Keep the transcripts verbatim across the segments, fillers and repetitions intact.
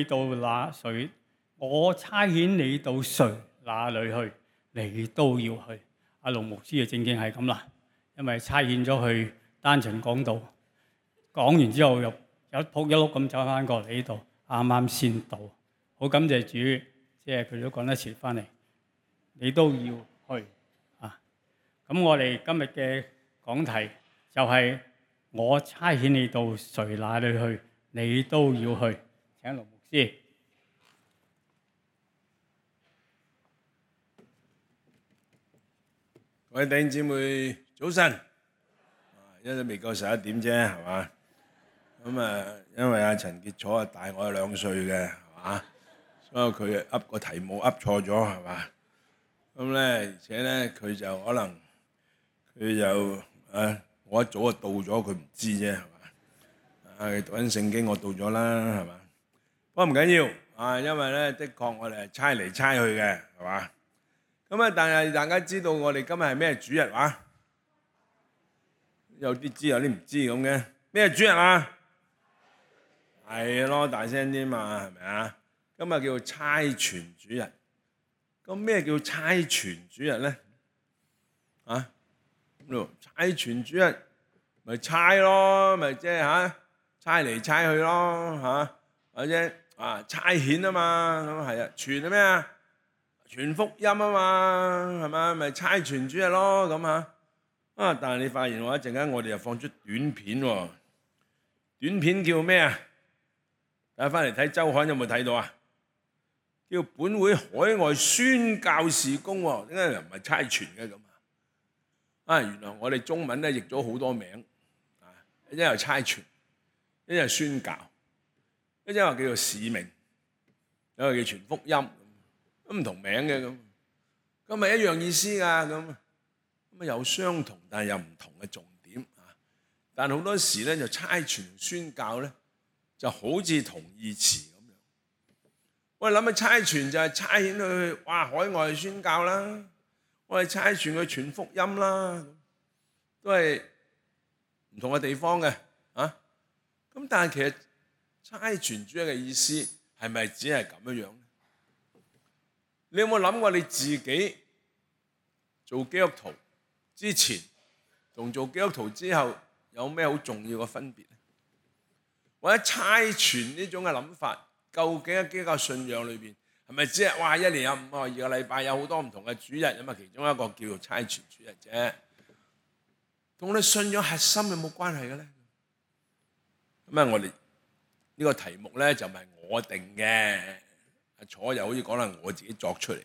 到哪誰，我差遣你到誰那裏去，你都要去。阿龍牧師嘅正經係咁啦，因為差遣咗去單程講道，講完之後又一仆一碌咁走翻過嚟呢度，啱啱先到。好感謝主，即係佢都講得遲翻嚟，你都要去啊！咁我哋今日嘅講題就係我差遣你到誰那裏去，你都要去。請龍牧師。各位弟兄姊妹，早晨。因為未夠十一點啫，係嘛？咁啊，因為阿陳傑楚啊大我兩歲嘅，係嘛？所以佢噏個題目噏錯咗，係嘛？咁咧，而且咧，佢就可能佢就誒，我一早就到咗，佢唔知啫，係嘛？啊，讀緊聖經，我到咗啦，係嘛？不過唔緊要啊，因為咧，的確我哋係差嚟差去嘅，係嘛？咁啊，但係大家知道我哋今日係咩主日話？有啲知，有啲唔知咁嘅。咩主日啊？係咯，大聲啲嘛，係咪啊？今日叫做差傳主日。咁咩叫差傳主日咧？啊？差傳主日咪差咯，咪即係嚇差嚟差去咯嚇，或者啊差遣啊嘛，咁係啊，傳係咩啊？傳福音啊嘛，係嘛？咪差傳主日咯咁嚇。啊！但係你發現喎，一陣間我哋又放出短片喎。短片叫咩啊？大家翻嚟睇週刊有冇睇到啊？叫本會海外宣教事工喎，點解又唔係差傳嘅咁啊？啊！原來我哋中文咧譯咗好多名啊，一係差傳，一係宣教，一係話叫做使命，一係叫傳福音，都唔同名嘅咁，咁咪一樣意思㗎咁。咁啊有相同，但係有唔同嘅重點啊！但好多時咧就差傳宣教咧就好似同義詞咁樣。我哋諗起差傳就係差遣去哇海外宣教啦，我哋差傳去傳福音啦，都係唔同嘅地方嘅啊！咁但係其實差傳主日嘅意思係咪只係咁樣樣咧？你有冇諗過你自己做基督徒之前同做基督徒之後有咩好重要嘅分別咧？或者差傳呢種嘅諗法，究竟喺基督教信仰裏邊係咪只係哇一年有五十二個禮拜有好多唔同嘅主日咁啊？其中一個叫做差傳主日啫，同你信仰核心有冇關係嘅咧？咁啊，我哋呢個題目咧就唔係我定嘅，阿楚又好似講啦，我自己作出嚟咁。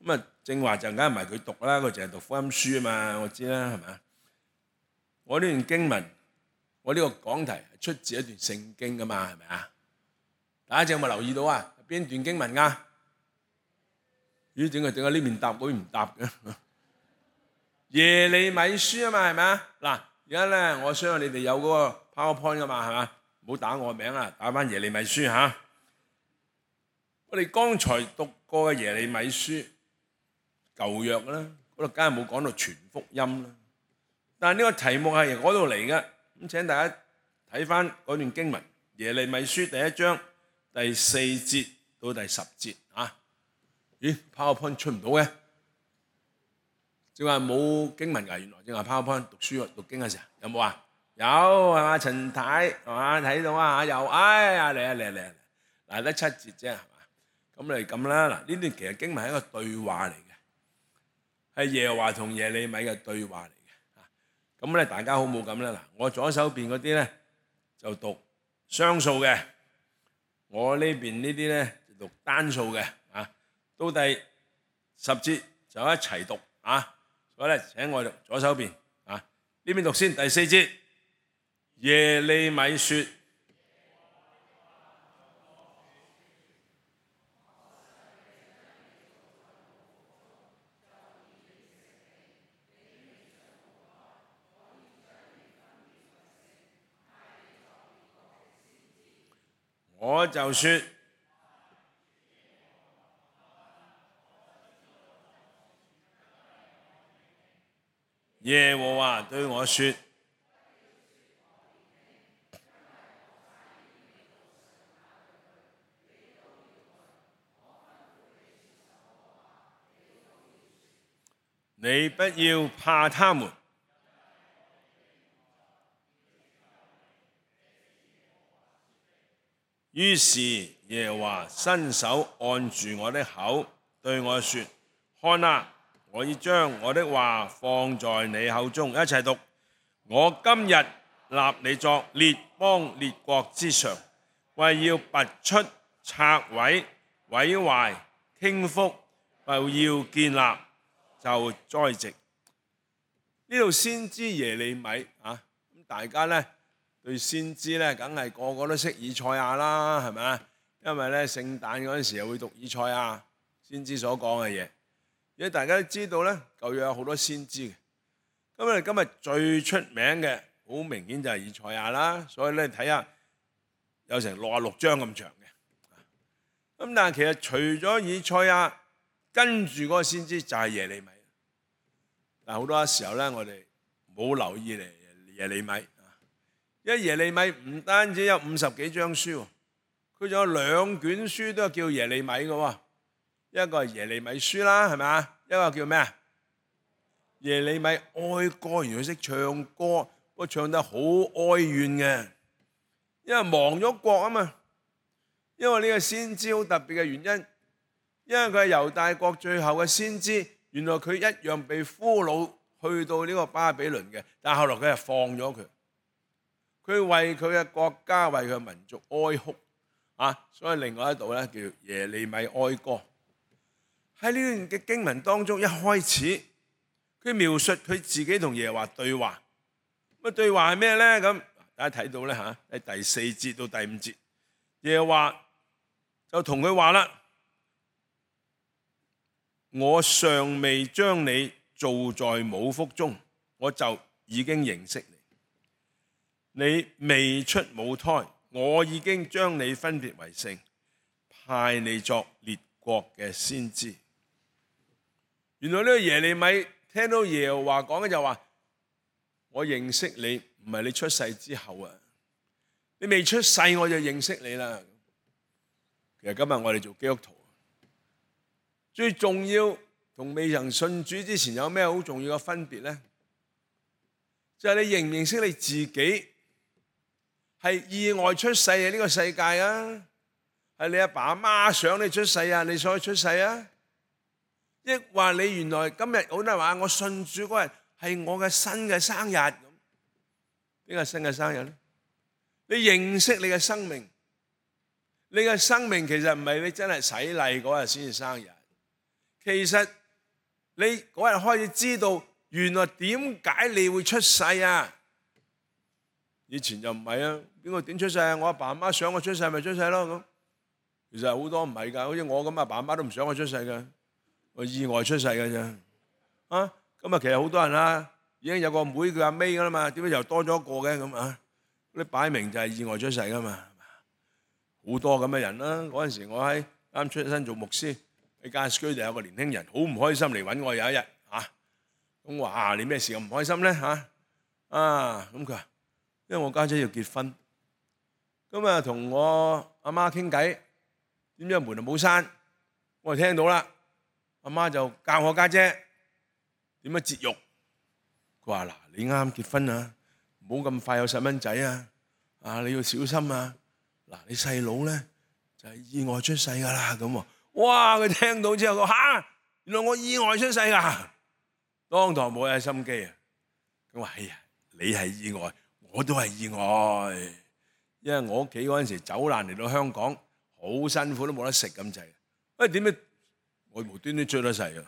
咁啊，正話就梗係唔係佢讀啦，佢淨係讀福音書啊嘛，我知啦，係咪啊？我呢段經文，我呢個講題係出自一段聖經噶嘛，係咪啊？大家有冇留意到啊？邊段經文㗎？咦，點解點解呢邊答嗰邊唔答嘅？耶利米書啊嘛，係咪啊？嗱，而家咧，我相信你哋有嗰個 PowerPoint 噶嘛，係嘛？唔好打我名啊，打翻耶利米書嚇。我哋剛才讀過嘅耶利米書。舊約啦，嗰度梗係冇講到傳福音啦。但係呢個題目係嗰度嚟嘅，咁請大家睇翻嗰段經文，耶利米書第一章第四節到第十節啊。咦 ，PowerPoint 出唔到嘅，正話冇經文㗎，原來正話 PowerPoint 讀書讀經嘅時候有冇啊？有係嘛？陳太係嘛？睇到啊？有，哎呀嚟啊嚟嚟嚟，嗱得七節啫係嘛？咁你咁啦，嗱呢段其實經文係一個對話嚟嘅。係耶和華同耶利米嘅對話嚟嘅，咁咧大家好冇咁咧？嗱，我左手邊嗰啲咧就讀雙數嘅，我呢邊呢啲咧就讀單數嘅，啊，到第十節就一齊讀啊，所以咧請我讀左手邊啊，呢邊讀先，第四節，耶利米說。我就說，耶和華對我說，你不要怕他們。於是耶和華伸手按住我的口，對我說：看啊，我已將我的話放在你口中。一齊讀：我今日立你作列邦列國之上，為要拔出拆毀、毀壞、傾覆，又要建立就栽植。呢度先知耶利米啊，咁大家呢對先知呢，梗係個個都識以賽亞啦，係咪啊？因為呢聖誕嗰陣時又會讀以賽亞先知所講嘅嘢。而大家都知道呢，舊約有好多先知嘅。咁我哋今日最出名嘅，好明顯就係以賽亞啦。所以咧睇下有成六十六章咁長嘅。咁但係其實除咗以賽亞，跟住嗰個先知就係耶利米。但係好多時候咧，我哋冇留意嚟耶利米。因為耶利米唔單止有五十幾章書，佢仲有兩卷書都係叫耶利米嘅喎。一個係耶利米書啦，係咪啊？一個叫咩啊？耶利米哀歌，原來佢識唱歌，不過唱得好哀怨嘅，因為亡咗國啊嘛。因為呢個先知好特別嘅原因，因為佢係猶大國最後嘅先知，原來佢一樣被俘虜去到呢個巴比倫嘅，但係後來佢係放咗佢。佢為佢嘅國家、為佢嘅民族哀哭啊！所以另外一度咧叫耶利米哀歌。喺呢段嘅經文當中，一開始佢描述佢自己同耶和華對話。咁啊對話係咩咧？咁大家睇到咧嚇，喺第四節到第五節，耶和華就同佢話啦：我尚未將你造在母腹中，我就已經認識你。你未出母胎，我已經將你分別為聖，派你作列國嘅先知。原來呢個耶利米聽到耶和華講嘅就話：我認識你，唔係你出世之後啊，你未出世我就認識你啦。其實今日我哋做基督徒，最重要同未曾信主之前有咩好重要嘅分別呢？就係你認唔認識你自己？係意外出世嘅呢個世界啊？係你阿爸阿媽想你出世啊，你所以出世啊？抑或你原來今日好多人話我信主嗰日係我嘅新嘅生日？咁邊個新嘅生日咧？你認識你嘅生命，你嘅生命其實唔係你真係洗禮嗰日先至生日。其實你嗰日開始知道原來點解你會出世啊？以前就唔係啊，邊個點出世啊？我阿爸阿媽想我出世咪出世咯咁。其實好多唔係㗎，好似我咁阿爸阿媽都唔想我出世㗎，我意外出世㗎啫。啊，咁啊其實好多人啦，已經有個妹叫阿 May 㗎啦嘛，點解又多咗一個嘅咁啊？嗰啲擺明就係意外出世㗎嘛。好多咁嘅人啦。嗰陣時我喺啱出身做牧師，喺加士居就有個年輕人好唔開心嚟揾我有一日嚇，咁我話你咩事咁唔開心咧嚇？啊咁佢話。因為我家姐要結婚，咁啊同我阿媽傾偈，點知門就冇閂，我就聽到啦。阿媽就教我家姐點樣節育。佢話嗱，你啱結婚啊，唔好咁快有細蚊仔啊，啊你要小心啊。嗱，你細佬咧就係意外出世㗎啦咁喎。哇！佢聽到之後，佢嚇，原來我意外出世㗎，當堂冇晒心機啊。佢話：哎呀，你係意外。我都係意外，因為我屋企嗰陣時走難嚟到香港，好辛苦都冇得食咁滯。喂，點解我無端端出咗世啊？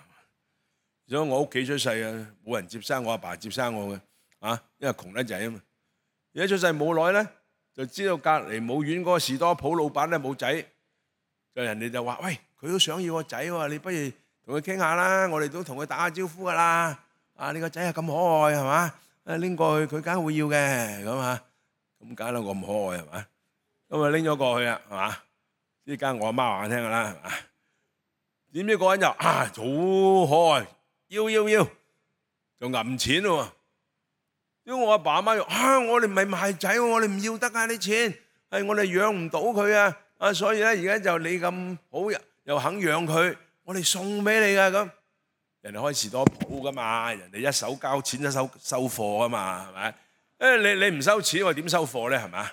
所以我屋企出世啊，冇人接生，我阿爸接生我嘅，啊，因為窮得滯啊嘛。而家出世冇耐咧，就知道隔離母院嗰個士多鋪老闆咧冇仔，就人哋就話：喂，佢都想要個仔喎，你不如同佢傾下啦，我哋都同佢打下招呼噶啦。啊，你個仔係咁可愛係嘛？誒拎過去，佢梗係會要嘅咁啊，咁梗係咁可愛係嘛？咁啊拎咗過去啦係嘛？呢間我阿媽話我聽㗎啦係嘛？點知嗰人就啊好可愛，要要要，就揞錢咯喎！因為我阿爸阿媽又啊，我哋唔係賣仔喎，我哋唔要得啊啲錢，係我哋養唔到佢啊啊，所以咧而家就你咁好又肯養佢，我哋送俾你㗎咁。人哋開士多鋪噶嘛，人哋一手交錢一手收貨噶嘛，係咪？誒你你唔收錢，我點收貨咧？係咪？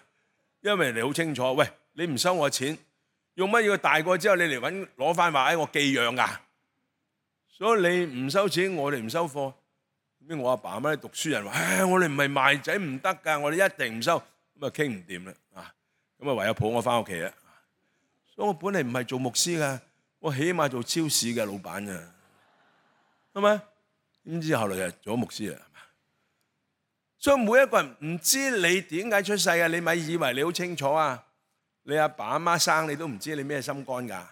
因為人哋好清楚，喂，你唔收我錢，用乜要大個之後你嚟揾攞翻話，誒我寄養㗎。所以你唔收錢，我哋唔收貨。咩？我阿爸阿媽讀書人話，唉，我哋唔係賣仔唔得㗎，我哋一定唔收。咁啊傾唔掂啦，啊，咁啊唯有抱我翻屋企啦。所以我本嚟唔係做牧師㗎，我起碼做超市嘅老闆㗎，係咪？點知後來就做咗牧師啦，係嘛？所以每一個人唔知你點解出世啊，你咪以為你好清楚啊？你阿爸阿媽生你都唔知你咩心肝㗎。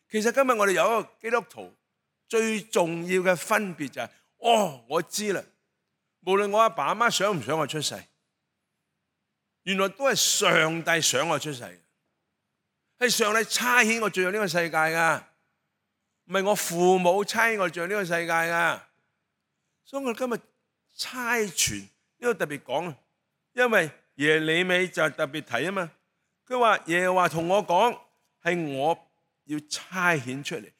其實今日我哋有一個基督徒最重要嘅分別就係，哦，我知啦，無論我阿爸阿媽想唔想我出世，原來都係上帝想我出世，係上帝差遣我進入呢個世界噶，唔係我父母差遣我進入呢個世界噶。所以我今日差傳呢個特別講，因為耶利米就特別提啊嘛，佢話耶和華同我講，係我要差遣出嚟，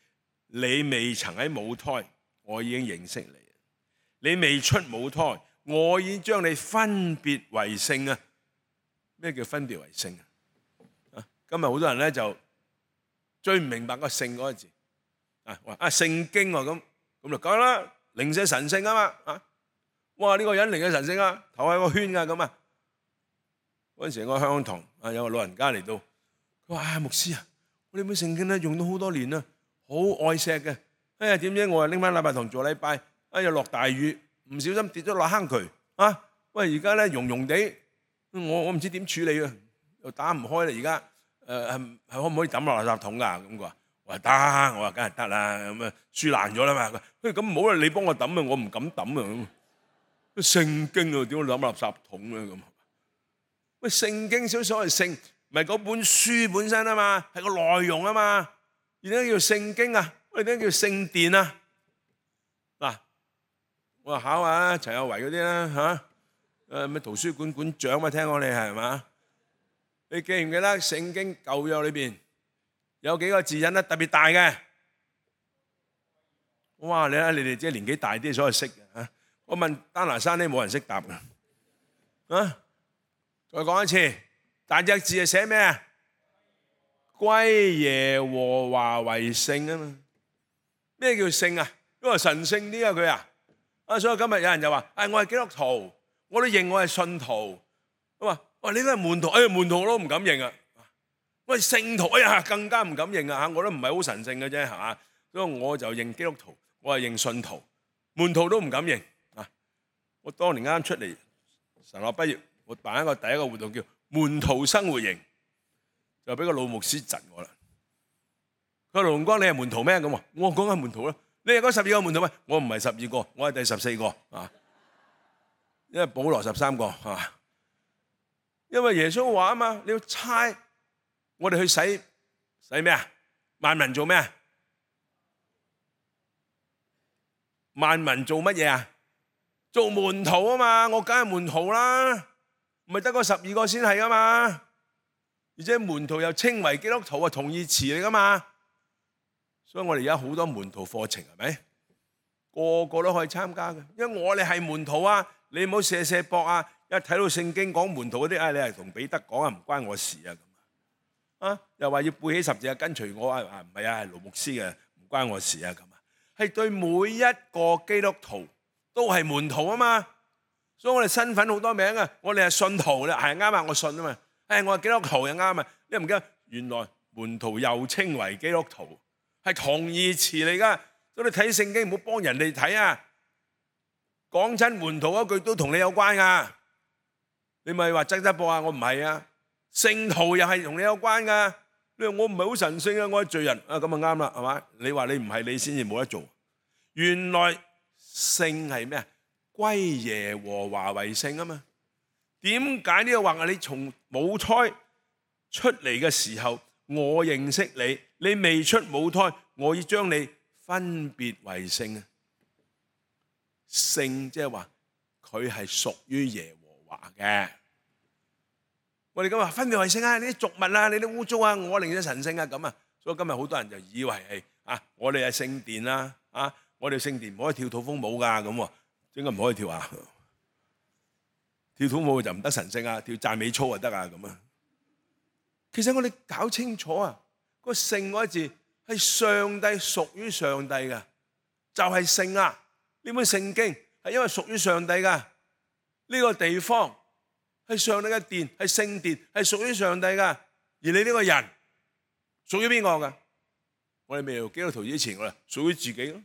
你未曾喺母胎，我已經認識你；你未出母胎，我已經將你分別為聖啊！咩叫分別為聖啊？今日好多人咧就最唔明白個聖嗰個字啊！話啊聖經喎，咁咁就講啦，零舍神聖啊嘛啊！哇，呢個人零舍神聖啊，頭係個圈噶咁啊！嗰陣時我香港堂啊，有個老人家嚟到，佢話啊牧師啊，我呢本聖經咧用咗好多年啦，好愛錫嘅。哎呀點知我拎翻禮拜堂做禮拜，哎呀落大雨，唔小心跌咗落坑渠啊！喂而家咧溶溶地。我我唔知點處理啊，又打唔開啦而家，誒係係可唔可以抌落垃圾桶㗎？咁佢話，我話得，我話梗係得啦，咁啊輸爛咗啦嘛。佢咁唔好啦，你幫我抌啊，我唔敢抌啊。聖經啊，點解抌垃圾桶咧咁？喂，聖經所所謂聖，唔係嗰本書本身啊嘛，係個內容啊嘛。而家叫聖經啊，我哋點解叫聖殿啊？嗱，我話考下陳有為嗰啲啦嚇。誒咩圖書館館長嘛？聽講你係嘛？你記唔記得聖經舊約裏邊有幾個字印得特別大嘅？哇！你睇你哋即係年紀大啲，所以識嘅嚇。我問丹拿山呢，冇人識答嘅。啊，再講一次，大隻字係寫咩啊？歸耶和華為聖啊嘛。咩叫聖啊？因為神聖啲啊佢啊。啊，所以今日有人就話：誒，我係基督徒。我都認我係信徒，佢話：哇，你都係門徒，哎呀，門徒我都唔敢認啊！我係聖徒，哎呀，更加唔敢認啊！嚇，我都唔係好神聖嘅啫，係嘛？所以我就認基督徒，我係認信徒，門徒都唔敢認啊！我當年啱出嚟神學畢業，我辦一個第一個活動叫門徒生活營，就俾個老牧師窒我啦。佢話：盧龍光，你係門徒咩？咁話我講緊門徒啦，你係嗰十二個門徒咩？我唔係十二個，我係第十四個啊！因為保羅十三個係嘛？因為耶穌話啊嘛，你要差我哋去使使咩啊？萬民做咩啊？萬民做乜嘢啊？做門徒啊嘛！我梗係門徒啦，唔係得嗰十二個先係噶嘛。而且門徒又稱為基督徒啊，同義詞嚟噶嘛。所以我哋而家好多門徒課程係咪？個個都可以參加嘅，因為我哋係門徒啊。你唔好射射博啊！一睇到聖經講門徒嗰啲，啊你係同彼得講啊，唔關我事啊咁啊！又話要背起十字架跟隨我啊，唔係啊，係盧牧師嘅，唔關我事啊咁啊！係對每一個基督徒都係門徒啊嘛，所以我哋身份好多名啊！我哋係信徒啦，係啱啊！我信啊嘛，誒我係基督徒又啱啊！你唔記得原來門徒又稱為基督徒，係同義詞嚟噶，所以你睇聖經唔好幫人哋睇啊！講親門徒嗰句都同你有關噶，你咪話側側膊啊！我唔係啊，聖徒又係同你有關噶。你話我唔係好神聖啊，我係罪人啊，咁啊啱啦，係嘛？你話你唔係，你先至冇得做。原來聖係咩啊？歸耶和華為聖啊嘛。點解呢個話你從母胎出嚟嘅時候，我認識你，你未出母胎，我要將你分別為聖啊？聖即係話佢係屬於耶和華嘅。我哋今日分別為聖啊，你啲俗物啊，你啲污糟啊，我令你神聖啊咁啊。所以今日好多人就以為係啊，我哋係聖殿啦，啊，我哋聖殿唔可以跳土風舞㗎，咁喎，點解唔可以跳啊？跳土舞就唔得神聖啊，跳讚美操就得啊咁啊。其實我哋搞清楚啊，個聖嗰個字係上帝屬於上帝㗎，就係聖啊！呢本聖經係因為屬於上帝㗎，呢個地方係上帝嘅殿，係聖殿，係屬於上帝㗎。而你呢個人屬於邊個㗎？我哋未做基督徒之前，我哋屬於自己咯，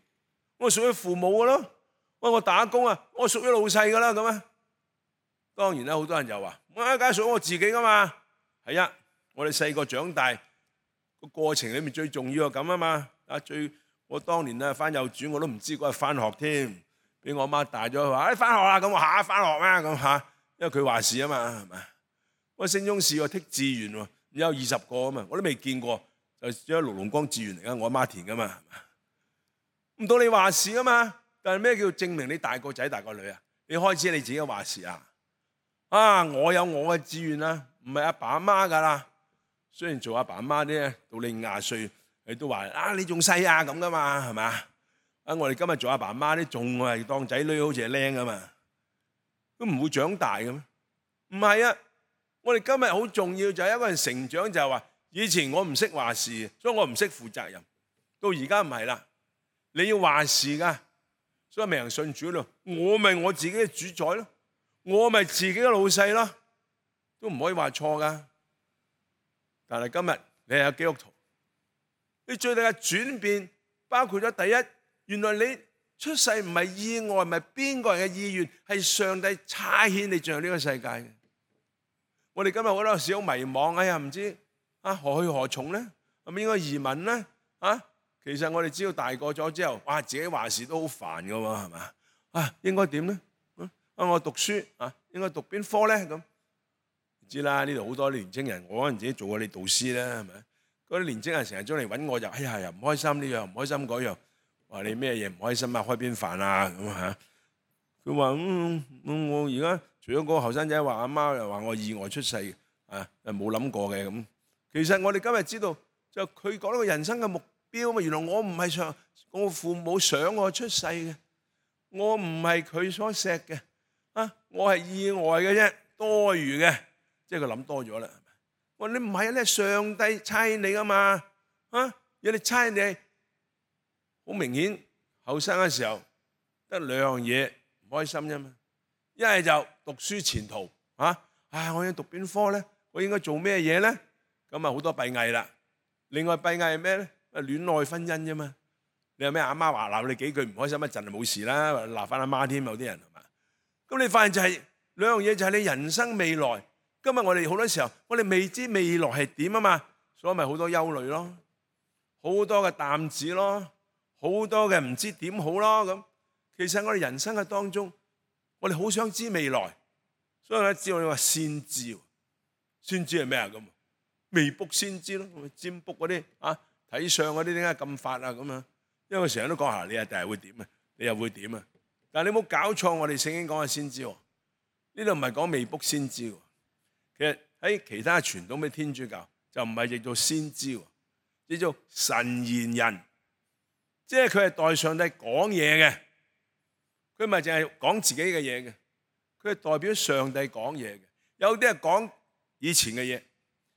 我屬於父母㗎咯。我我打工啊，我屬於老細㗎啦咁啊。當然啦，好多人就話：我梗係屬於我自己㗎嘛。係啊，我哋細個長大個過程裏面最重要係咁啊嘛。啊最我當年咧翻幼稚園我都唔知嗰日翻學添，俾我媽帶咗去話：誒翻學啦咁，我嚇翻學咩咁嚇？因為佢話事啊嘛，係咪？我升中試過剔志願喎，有二十個啊嘛，我都未見過，就只有盧龍光志願嚟㗎，我阿媽填㗎嘛，唔到你話事啊嘛。但係咩叫證明你大個仔大個女啊？你開始你自己話事啊？啊，我有我嘅志願啦，唔係阿爸阿媽㗎啦。雖然做阿爸阿媽啲，到你廿歲，你都話啊你仲細啊咁㗎嘛，係咪啊？啊我哋今日做阿爸阿媽啲，仲係當仔女好似係靚㗎嘛，都唔會長大嘅咩？唔係啊！我哋今日好重要就係一個人成長，就係話以前我唔識話事，所以我唔識負責任。到而家唔係啦，你要話事㗎，所以未人信主咯。我咪我自己嘅主宰咯，我咪自己嘅老細咯，都唔可以話錯㗎。但係今日你係基督徒，你最大嘅轉變包括咗第一，原來你出世唔係意外，唔係邊個人嘅意願，係上帝差遣你進入呢個世界嘅。我哋今日好多時好迷茫，哎呀唔知啊何去何從咧？係咪應該移民咧？啊，其實我哋知道大個咗之後，哇自己話事都好煩㗎喎，係嘛？啊應該點咧？啊我讀書啊應該讀邊科咧？咁知啦，呢度好多年青人，我可能自己做過你導師咧，係咪？嗰啲年青人成日將嚟揾我就，哎呀又唔開心呢樣，唔開心嗰樣，話你咩嘢唔開心啊？開邊飯啊咁嚇？佢話嗯嗯我而家。除咗嗰個後生仔話阿媽又話我意外出世，啊誒冇諗過嘅咁。其實我哋今日知道，就佢講呢個人生嘅目標嘛。原來我唔係想我父母想我出世嘅，我唔係佢所錫嘅，啊我係意外嘅啫，多餘嘅，即係佢諗多咗啦。我話你唔係啊，你係上帝差你噶嘛，啊有你差你，好明顯後生嘅時候得兩樣嘢唔開心啫嘛。一係就讀書前途啊！唉，我應該讀邊科咧？我應該做咩嘢咧？咁啊好多閉翳啦。另外閉翳係咩咧？戀愛婚姻啫嘛。你有咩阿媽話鬧你幾句唔開心一陣就冇事啦，鬧翻阿媽添，有啲人係嘛？咁你發現就係兩樣嘢，就係你人生未來。今日我哋好多時候，我哋未知未來係點啊嘛，所以咪好多憂慮咯，好多嘅擔子咯，好多嘅唔知點好咯咁。其實我哋人生嘅當中，我哋好想知未來，所以咧知道你話先知，先知係咩啊咁？未卜先知咯，占卜嗰啲啊，睇相嗰啲點解咁發啊咁啊？因為佢成日都講下你啊，第日會點啊？你又會點啊？但係你冇搞錯，我哋聖經講嘅先知，呢度唔係講未卜先知。其實喺其他傳統嘅天主教就唔係譯做先知，叫做神言人，即係佢係代上帝講嘢嘅。佢咪淨係講自己嘅嘢嘅，佢係代表上帝講嘢嘅。有啲係講以前嘅嘢，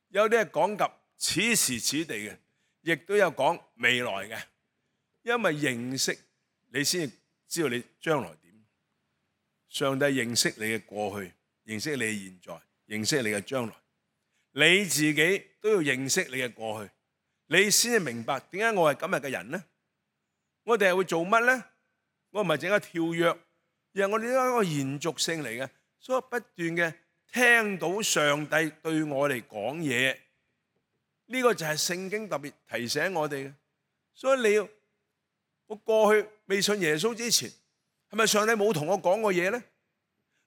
有啲係講及此時此地嘅，亦都有講未來嘅。因為認識你先至知道你將來點。上帝認識你嘅過去，認識你嘅現在，認識你嘅將來。你自己都要認識你嘅過去，你先至明白點解我係今日嘅人呢？我哋係會做乜呢？我唔係淨係跳躍，而係我哋呢一個延續性嚟嘅，所以不斷嘅聽到上帝對我哋講嘢，呢個就係聖經特別提醒我哋嘅。所以你要我過去未信耶穌之前，係咪上帝冇同我講過嘢呢？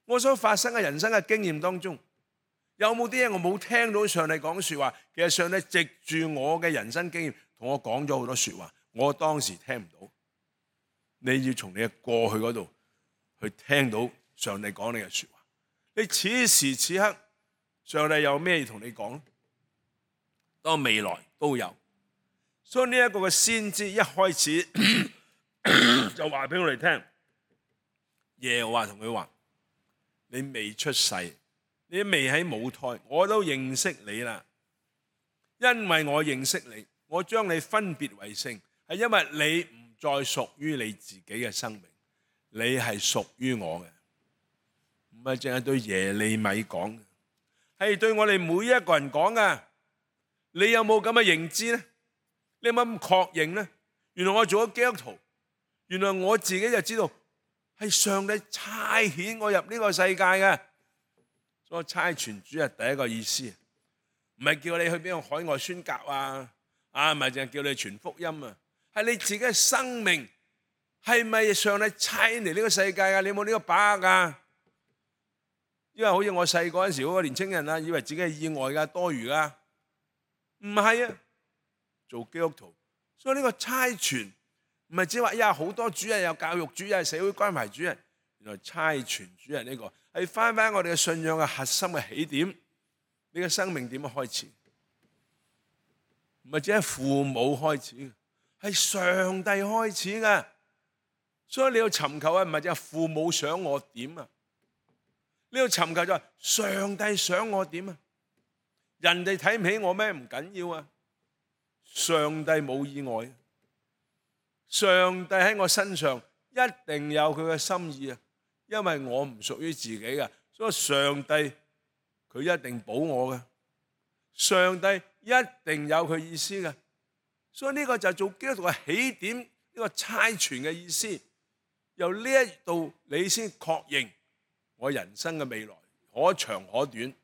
我所發生嘅人生嘅經驗當中，有冇啲嘢我冇聽到上帝講說話？其實上帝藉住我嘅人生經驗同我講咗好多說話，我當時聽唔到。你要從你嘅過去嗰度去聽到上帝講你嘅說話。你此時此刻，上帝有咩要同你講？當未來都有。所以呢一個嘅先知一開始就話俾我哋聽，耶和華同佢話：你未出世，你未喺母胎，我都認識你啦。因為我認識你，我將你分別為聖，係因為你唔再屬於你自己嘅生命，你係屬於我嘅。唔係淨係對耶利米講嘅，係對我哋每一個人講嘅。你有冇咁嘅認知呢？你有冇咁確認呢？原來我做咗基督徒，原來我自己就知道係上帝差遣我入呢個世界嘅。所以差傳主日第一個意思，唔係叫你去邊個海外宣教啊，啊唔係淨係叫你傳福音啊，係你自己嘅生命係咪上帝差嚟呢個世界啊？你有冇呢個把握啊？因為好似我細個嗰陣時嗰個年青人啊，以為自己係意外噶、多餘噶，唔係啊，做基督徒。所以呢個差傳唔係只話呀好多主日，有教育主日、社會關懷主日，原來差傳主日呢個係翻翻我哋嘅信仰嘅核心嘅起點。你嘅生命點樣開始？唔係只係父母開始嘅，係上帝開始嘅。所以你要尋求嘅唔係只係父母想我點啊，你要尋求就係上帝想我點啊。人哋睇唔起我咩？唔緊要啊。上帝冇意外，上帝喺我身上一定有佢嘅心意啊！因為我唔屬於自己嘅，所以上帝佢一定保我嘅。上帝一定有佢意思嘅，所以呢個就係做基督徒嘅起點，呢個差傳嘅意思。由呢一度你先確認我人生嘅未來可長可短，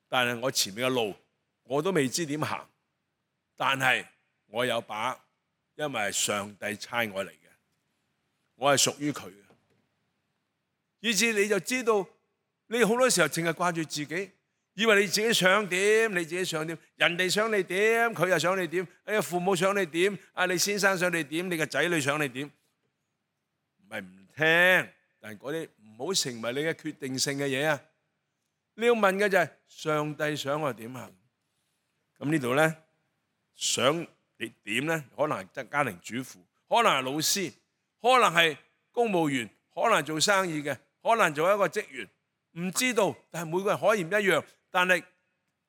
但係我前面嘅路我都未知點行。但係我有把握，因為係上帝差我嚟嘅，我係屬於佢嘅。以至你就知道，你好多時候淨係掛住自己，以為你自己想點，你自己想點，人哋想你點，佢又想你點，哎呀父母想你點，啊你先生想你點，你個仔女想你點，唔係唔聽，但係嗰啲唔好成為你嘅決定性嘅嘢啊！你要問嘅就係上帝想我點行。咁呢度咧？想你點呢？可能係家庭主婦，可能係老師，可能係公務員，可能係做生意嘅，可能做一個職員，唔知道。但係每個人可以唔一樣，但係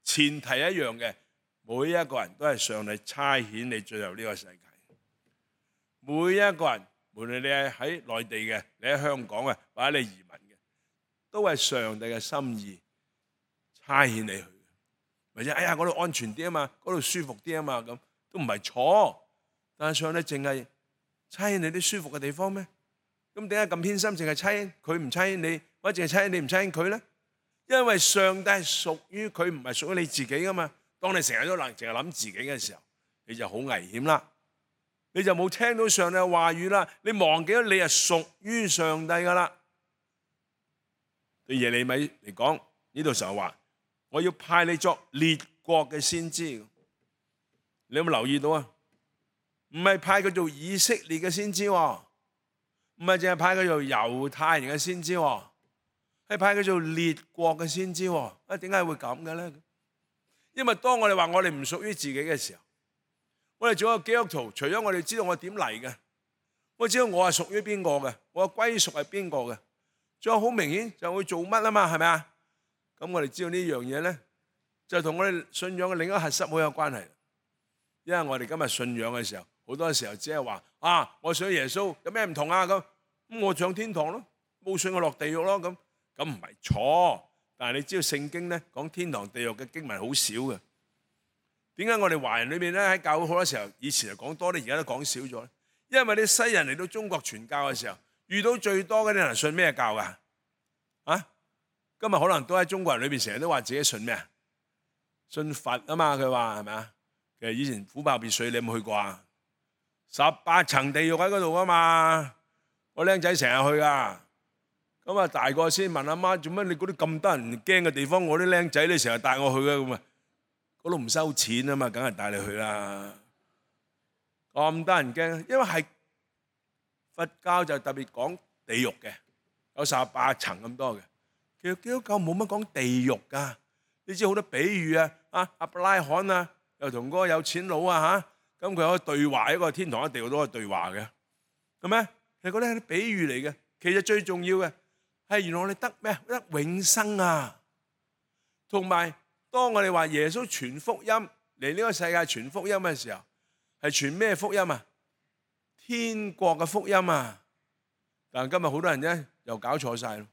前提一樣嘅，每一個人都係上帝差遣你進入呢個世界。每一個人，無論你係喺內地嘅，你喺香港嘅，或者你移民嘅，都係上帝嘅心意差遣你去。或者哎呀嗰度安全啲啊嘛，嗰度舒服啲啊嘛，咁都唔係錯。但係上帝淨係差遣你啲舒服嘅地方咩？咁點解咁偏心？淨係差佢唔差你，或者淨係差你唔差佢咧？因為上帝係屬於佢，唔係屬於你自己噶嘛。當你成日都能淨係諗自己嘅時候，你就好危險啦。你就冇聽到上帝嘅話語啦。你忘記咗你係屬於上帝噶啦。對耶利米嚟講，呢度就係話。我要派你作列國嘅先知，你有冇留意到啊？唔係派佢做以色列嘅先知，唔係淨係派佢做猶太人嘅先知，係派佢做列國嘅先知。啊，點解會咁嘅咧？因為當我哋話我哋唔屬於自己嘅時候，我哋做一個基督徒，除咗我哋知道我點嚟嘅，我知道我係屬於邊個嘅，我嘅歸屬係邊個嘅，仲有好明顯就會做乜啊嘛，係咪啊？咁我哋知道呢樣嘢咧，就同我哋信仰嘅另一個核心好有關係。因為我哋今日信仰嘅時候，好多時候只係話啊，我信耶穌有咩唔同啊？咁咁我上天堂咯，冇信我落地獄咯。咁咁唔係錯，但係你知道聖經咧講天堂地獄嘅經文好少嘅。點解我哋華人裏邊咧喺教會好多時候以前係講多啲，而家都講少咗咧？因為啲西人嚟到中國傳教嘅時候，遇到最多嗰啲人信咩教噶？啊？今日可能都喺中國人裏邊，成日都話自己信咩啊？信佛啊嘛，佢話係咪啊？其實以前虎豹別墅你有冇去過啊？十八層地獄喺嗰度啊嘛，我僆仔成日去噶。咁啊大個先問阿媽，做乜你嗰啲咁多人驚嘅地方，我啲僆仔你成日帶我去嘅咁啊？嗰度唔收錢啊嘛，梗係帶你去啦。咁多人驚，因為係佛教就特別講地獄嘅，有十八層咁多嘅。其實基督教冇乜講地獄噶，你知好多比喻啊，啊亞伯拉罕啊，又同嗰個有錢佬啊嚇，咁佢可以對話，一個天堂一地獄都可以對話嘅。係咪？其實嗰啲係啲比喻嚟嘅。其實最重要嘅係原來我哋得咩？得永生啊！同埋當我哋話耶穌傳福音嚟呢個世界傳福音嘅時候，係傳咩福音啊？天國嘅福音啊！但係今日好多人咧又搞錯晒咯，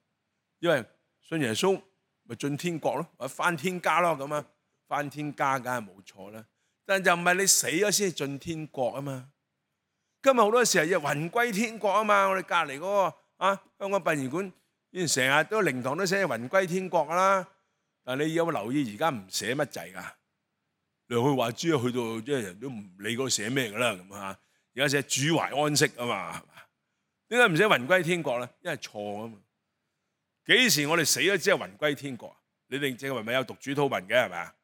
因為信耶穌咪進天國咯，或者返天家咯咁啊，返天家梗係冇錯啦。但就唔係你死咗先進天國啊嘛。今日好多時候要魂歸天國啊嘛。我哋隔離嗰個啊香港殯儀館，以前成日都靈堂都寫魂歸天國噶啦。但係你有冇留意而家唔寫乜滯噶？你去話知去到即係人都唔理嗰寫咩噶啦咁嚇。而家寫主懷安息啊嘛，係嘛？點解唔寫魂歸天國咧？因為錯啊嘛。幾時我哋死咗之後魂歸天國啊？你哋正話咪有讀主禱文嘅係咪啊？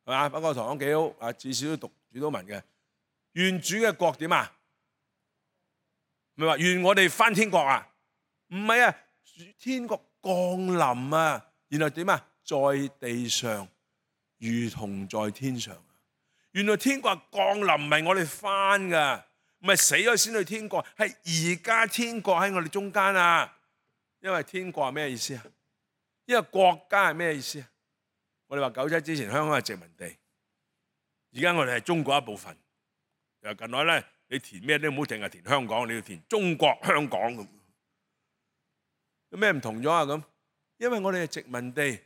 係嘛？不過堂講幾好啊，至少都讀主禱文嘅。願主嘅國點啊？咪話願我哋返天國啊？唔係啊，天國降臨啊，然後點啊？在地上如同在天上。原來天國降臨唔係我哋返噶，唔係死咗先去天國，係而家天國喺我哋中間啊！因為天國係咩意思啊？因為國家係咩意思啊？我哋話九七之前香港係殖民地，而家我哋係中國一部分。又近來咧，你填咩都唔好淨係填香港，你要填中國香港咁。有咩唔同咗啊？咁因為我哋係殖民地，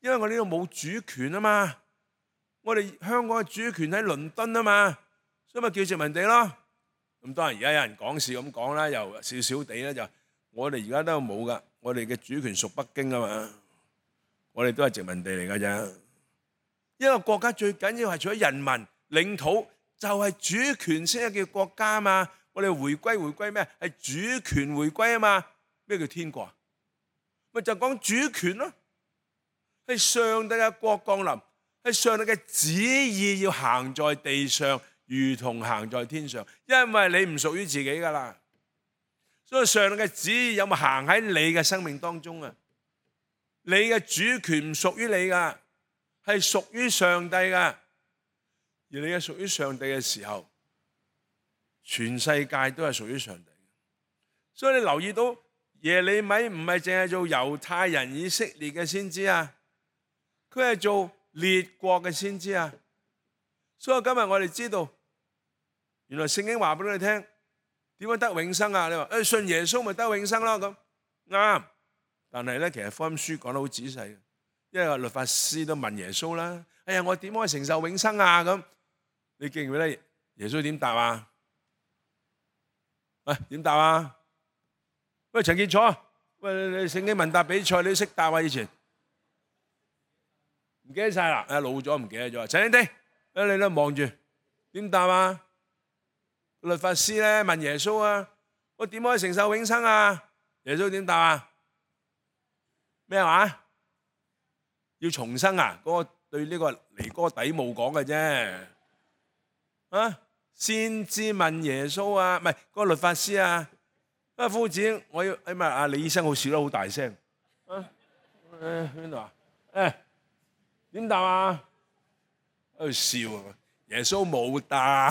因為我哋呢度冇主權啊嘛。我哋香港嘅主權喺倫敦啊嘛，所以咪叫殖民地咯。咁當然而家有人講笑咁講啦，又少少地咧就我哋而家都冇噶，我哋嘅主權屬北京啊嘛，我哋都係殖民地嚟噶咋。一個國家最緊要係除咗人民、領土，就係主權先係叫國家啊嘛。我哋回歸回歸咩？係主權回歸啊嘛。咩叫天國啊？咪就講主權咯，係上帝嘅國降臨。係上帝嘅旨意要行在地上，如同行在天上，因為你唔屬於自己噶啦，所以上帝嘅旨意有冇行喺你嘅生命當中啊？你嘅主權唔屬於你噶，係屬於上帝噶。而你係屬於上帝嘅時候，全世界都係屬於上帝。所以你留意到耶利米唔係淨係做猶太人以色列嘅先知啊，佢係做列國嘅先知啊，所以今日我哋知道，原來聖經話俾你聽，點樣得永生啊？你話誒信耶穌咪得永生咯？咁啱，但係咧其實福音書講得好仔細嘅，因為律法師都問耶穌啦，哎呀我點可以承受永生啊？咁你記唔記得耶穌點答啊？喂點答啊？喂陳建楚，喂你聖經問答比賽你都識答啊以前？唔記得晒啦，誒老咗唔記得咗。陳丁丁，誒你都望住點答啊？律法師咧問耶穌啊，我點可以承受永生啊？耶穌點答啊？咩話？要重生啊？嗰個對呢個尼哥底母講嘅啫。啊，先知問耶穌啊，唔係嗰個律法師啊，啊夫子，我要誒咪啊李醫生好笑得好大聲。啊誒邊度啊？誒。點答啊？喺度笑啊！耶穌冇答，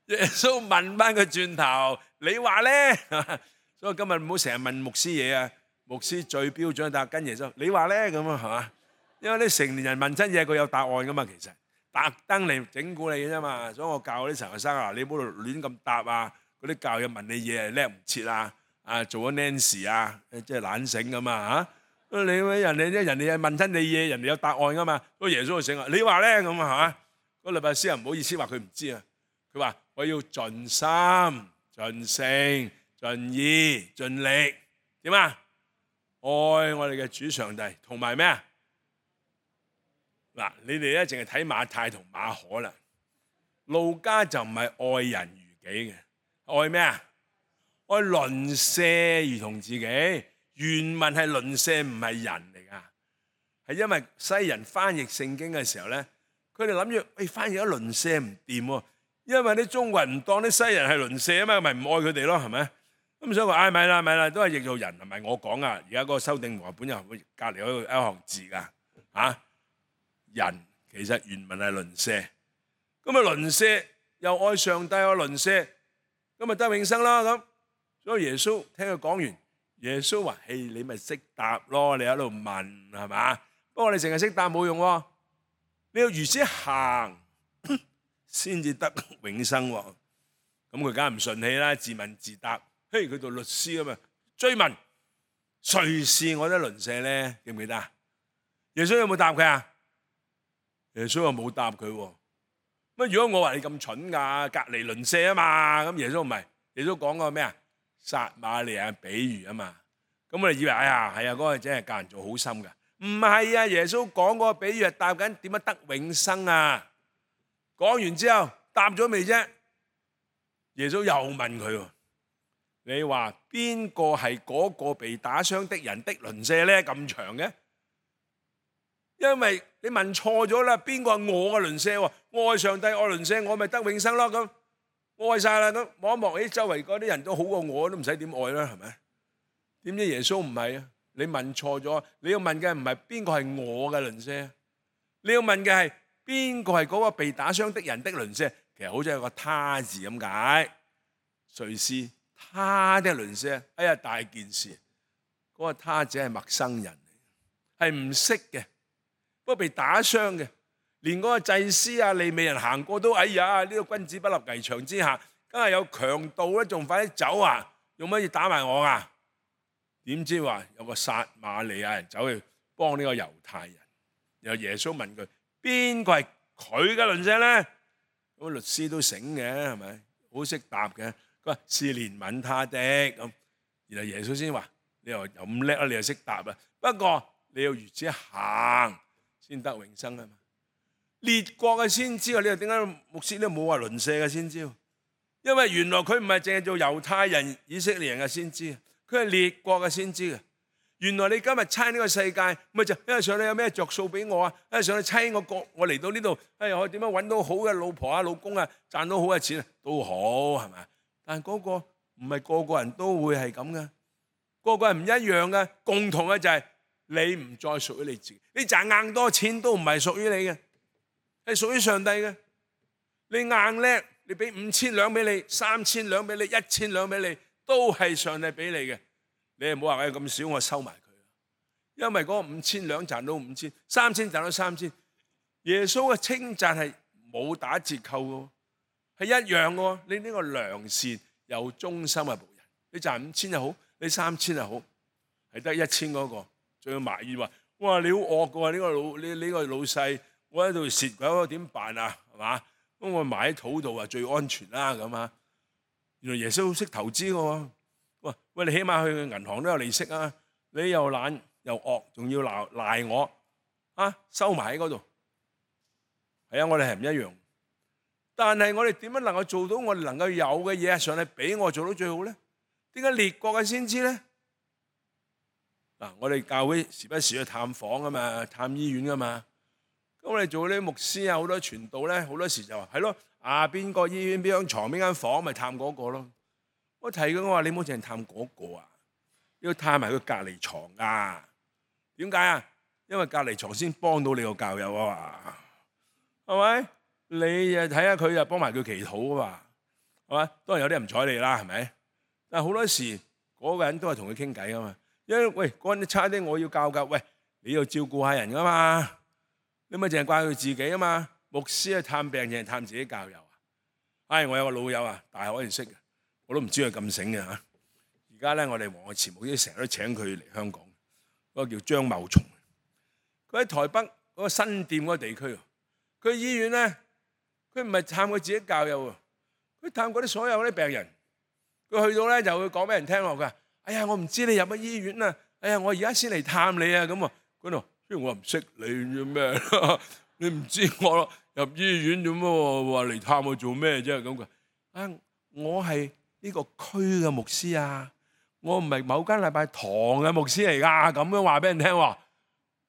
耶穌問翻佢轉頭，你話咧？所以今日唔好成日問牧師嘢啊！牧師最標準答跟耶穌，你話咧咁啊，係嘛？因為啲成年人問親嘢，佢有答案噶嘛，其實特登嚟整蠱你嘅啫嘛。所以我教啲神學生啊，你唔好亂咁答啊！嗰啲教友問你嘢叻唔切啊！啊，做咗 Nancy 啊，即係懶醒咁啊嚇！你人哋咧，人哋問親你嘢，人哋有答案噶嘛？嗰耶穌就醒啊！你話咧咁啊，係嘛？嗰律法師又唔好意思話佢唔知啊。佢話我要盡心、盡性、盡意、盡力，點啊？愛我哋嘅主上帝，同埋咩啊？嗱，你哋咧淨係睇馬太同馬可啦，路加就唔係愛人如己嘅，愛咩啊？愛鄰舍如同自己。原文係鄰舍唔係人嚟噶，係因為西人翻譯聖經嘅時候咧，佢哋諗住誒翻譯咗鄰舍唔掂喎，因為啲中國人唔當啲西人係鄰舍啊嘛，咪唔愛佢哋咯，係咪？咁所以話唉咪啦咪啦，都係譯做人，唔係我講啊。而家嗰個修訂和合本又隔離嗰個一行字噶嚇，人其實原文係鄰舍，咁啊鄰舍又愛上帝愛鄰舍，咁咪得永生啦咁。所以耶穌聽佢講完，耶穌話：嘿，你咪識答咯，你喺度問係嘛？不過你淨係識答冇用喎，你要如此行先至得永生喎。咁佢梗係唔順氣啦，自問自答。嘿，佢做律師咁啊，追問誰是我的鄰舍咧？記唔記得啊？耶穌有冇答佢啊？耶穌又冇答佢喎。乜如果我話你咁蠢㗎，隔離鄰舍啊嘛，咁耶穌唔係，耶穌講個咩啊？撒瑪利亞比喻啊嘛。咁我哋以為哎呀係啊，嗰個真係教人做好心㗎。唔係啊，耶穌講嗰個比喻係答緊點樣得永生啊。講完之後答咗未啫？耶穌又問佢喎：你話邊個係嗰個被打傷的人的鄰舍咧？咁長嘅，因為你問錯咗啦。邊個係我嘅鄰舍喎？愛上帝愛鄰舍，我咪得永生咯。咁愛晒啦，咁望一望，誒周圍嗰啲人都好過我，都唔使點愛啦，係咪？點知耶穌唔係啊？你問錯咗，你要問嘅唔係邊個係我嘅鄰舍，你要問嘅係邊個係嗰個被打傷的人的鄰舍。其實好似有個他字咁解，誰是他的鄰舍？哎呀，大件事，嗰個他只係陌生人嚟，係唔識嘅，不過被打傷嘅，連嗰個祭司啊、利未人行過都，哎呀，呢個君子不立危牆之下，梗係有強盜咧，仲快啲走啊！用乜嘢打埋我啊？點知話有個撒瑪利亞人走去幫呢個猶太人，然後耶穌問佢：邊個係佢嘅鄰舍咧？咁律師都醒嘅，係咪？好識答嘅。佢話是憐憫他的咁。然後耶穌先話：你又咁叻啊，你又識答啊。不過你要如此行先得永生啊嘛。列國嘅先知啊，你又點解牧師都冇話鄰舍嘅先知？因為原來佢唔係淨係做猶太人、以色列人嘅先知，佢係列國嘅先知嘅。原來你今日猜呢個世界，咪就因為上帝有咩着數俾我啊？因為上帝猜我國，我嚟到呢度，哎，我點樣揾到好嘅老婆啊、老公啊，賺到好嘅錢啊，都好係咪？但係嗰個唔係個個人都會係咁嘅，個個人唔一樣嘅，共同嘅就係你唔再屬於你自己，你賺硬多錢都唔係屬於你嘅，係屬於上帝嘅。你硬叻，你俾五千兩俾你，三千兩俾你，一千兩俾你，都係上帝俾你嘅。你唔好話誒咁少，我收埋佢，因為嗰個五千兩賺到五千，三千賺到三千。耶穌嘅稱讚係冇打折扣嘅，係一樣嘅。你呢個良善又忠心嘅僕人，你賺五千又好，你三千又好，係得一千嗰個，仲要埋怨話：哇，你好惡嘅喎！呢個老你呢個老細，我喺度蝕鬼，點辦啊？係嘛？咁我埋喺土度啊，最安全啦咁啊！原來耶穌好識投資嘅喎。喂喂，你起碼去銀行都有利息啊！你又懶又惡，仲要鬧賴我啊？收埋喺嗰度，係啊！我哋係唔一樣，但係我哋點樣能夠做到我哋能夠有嘅嘢？上帝俾我做到最好咧？點解列國嘅先知咧？嗱，我哋教會時不時去探訪啊嘛，探醫院噶嘛。咁我哋做啲牧師啊，好多傳道咧，好多時就話係咯，啊邊個醫院邊張牀邊間房咪探嗰個咯。我提佢，我話你唔好淨係探嗰個啊，要探埋佢隔離床啊。點解啊？因為隔離床先幫到你個教友啊嘛，係咪？你誒睇下佢又幫埋佢祈禱啊嘛，係咪？當然有啲人唔睬你啦，係咪？但係好多時嗰個人都係同佢傾偈噶嘛。因為喂，嗰人差啲，我要教教，喂，你要照顧下人噶嘛，你咪淨係怪佢自己啊嘛。牧師去探病，淨係探自己教友啊。唉，我有個老友啊，大學嗰陣識嘅。我都唔知佢咁醒嘅嚇。而家咧，我哋黃愛慈牧師成日都請佢嚟香港。嗰個叫張茂松，佢喺台北嗰個新店嗰個地區。佢醫院咧，佢唔係探佢自己教友喎，佢探嗰啲所有嗰啲病人。佢去到咧就會講俾人聽喎。佢話：哎呀，我唔知你入咗醫院啊！哎呀，我而家先嚟探你啊！咁喎，嗰度，雖然我唔識你做咩，你唔知我入醫院做咩話嚟探我做咩啫？咁佢啊，我係呢個區嘅牧師啊，我唔係某間禮拜堂嘅牧師嚟㗎，咁樣話俾人聽喎。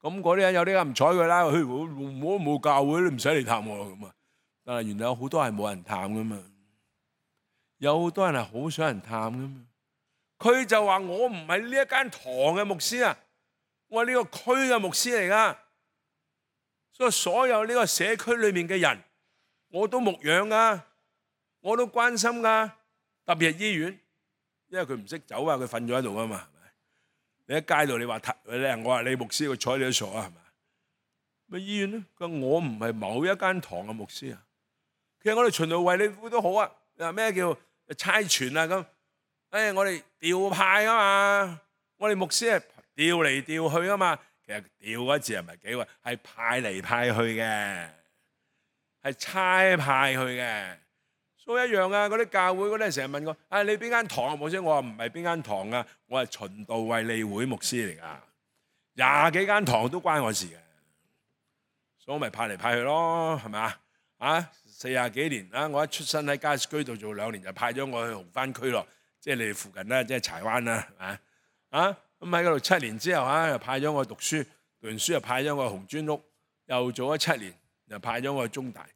咁嗰啲人有啲人唔睬佢啦，佢我我冇教會，你唔使嚟探我咁啊。但係原來有好多係冇人探㗎嘛，有好多人係好想人探㗎嘛。佢就話：我唔係呢一間堂嘅牧師啊，我係呢個區嘅牧師嚟㗎。所以所有呢個社區裏面嘅人，我都牧養㗎，我都關心㗎。特別係醫院，因為佢唔識走啊，佢瞓咗喺度啊嘛，係咪？你喺街度你話你我話你牧師，佢睬你都傻啊，係咪？咪醫院咧，佢話我唔係某一間堂嘅牧師啊。其實我哋循道衛理會都好啊。你話咩叫差傳啊咁？誒、哎，我哋調派啊嘛，我哋牧師係調嚟調去啊嘛。其實調嗰字係唔係幾個？係派嚟派去嘅，係差派去嘅。都一樣啊！嗰啲教會嗰啲成日問我：啊，你邊間堂啊牧師？我話唔係邊間堂啊，我係循道衛理會牧師嚟㗎。廿幾間堂都關我事嘅，所以我咪派嚟派去咯，係咪啊？啊，四廿幾年啊！我一出生喺加士居道做兩年，就派咗我去紅番區咯，即係你哋附近啦，即係柴灣啦，係咪啊？咁喺嗰度七年之後啊，又派咗我讀書，讀完書又派咗我去紅磚屋，又做咗七年，又派咗我去中大。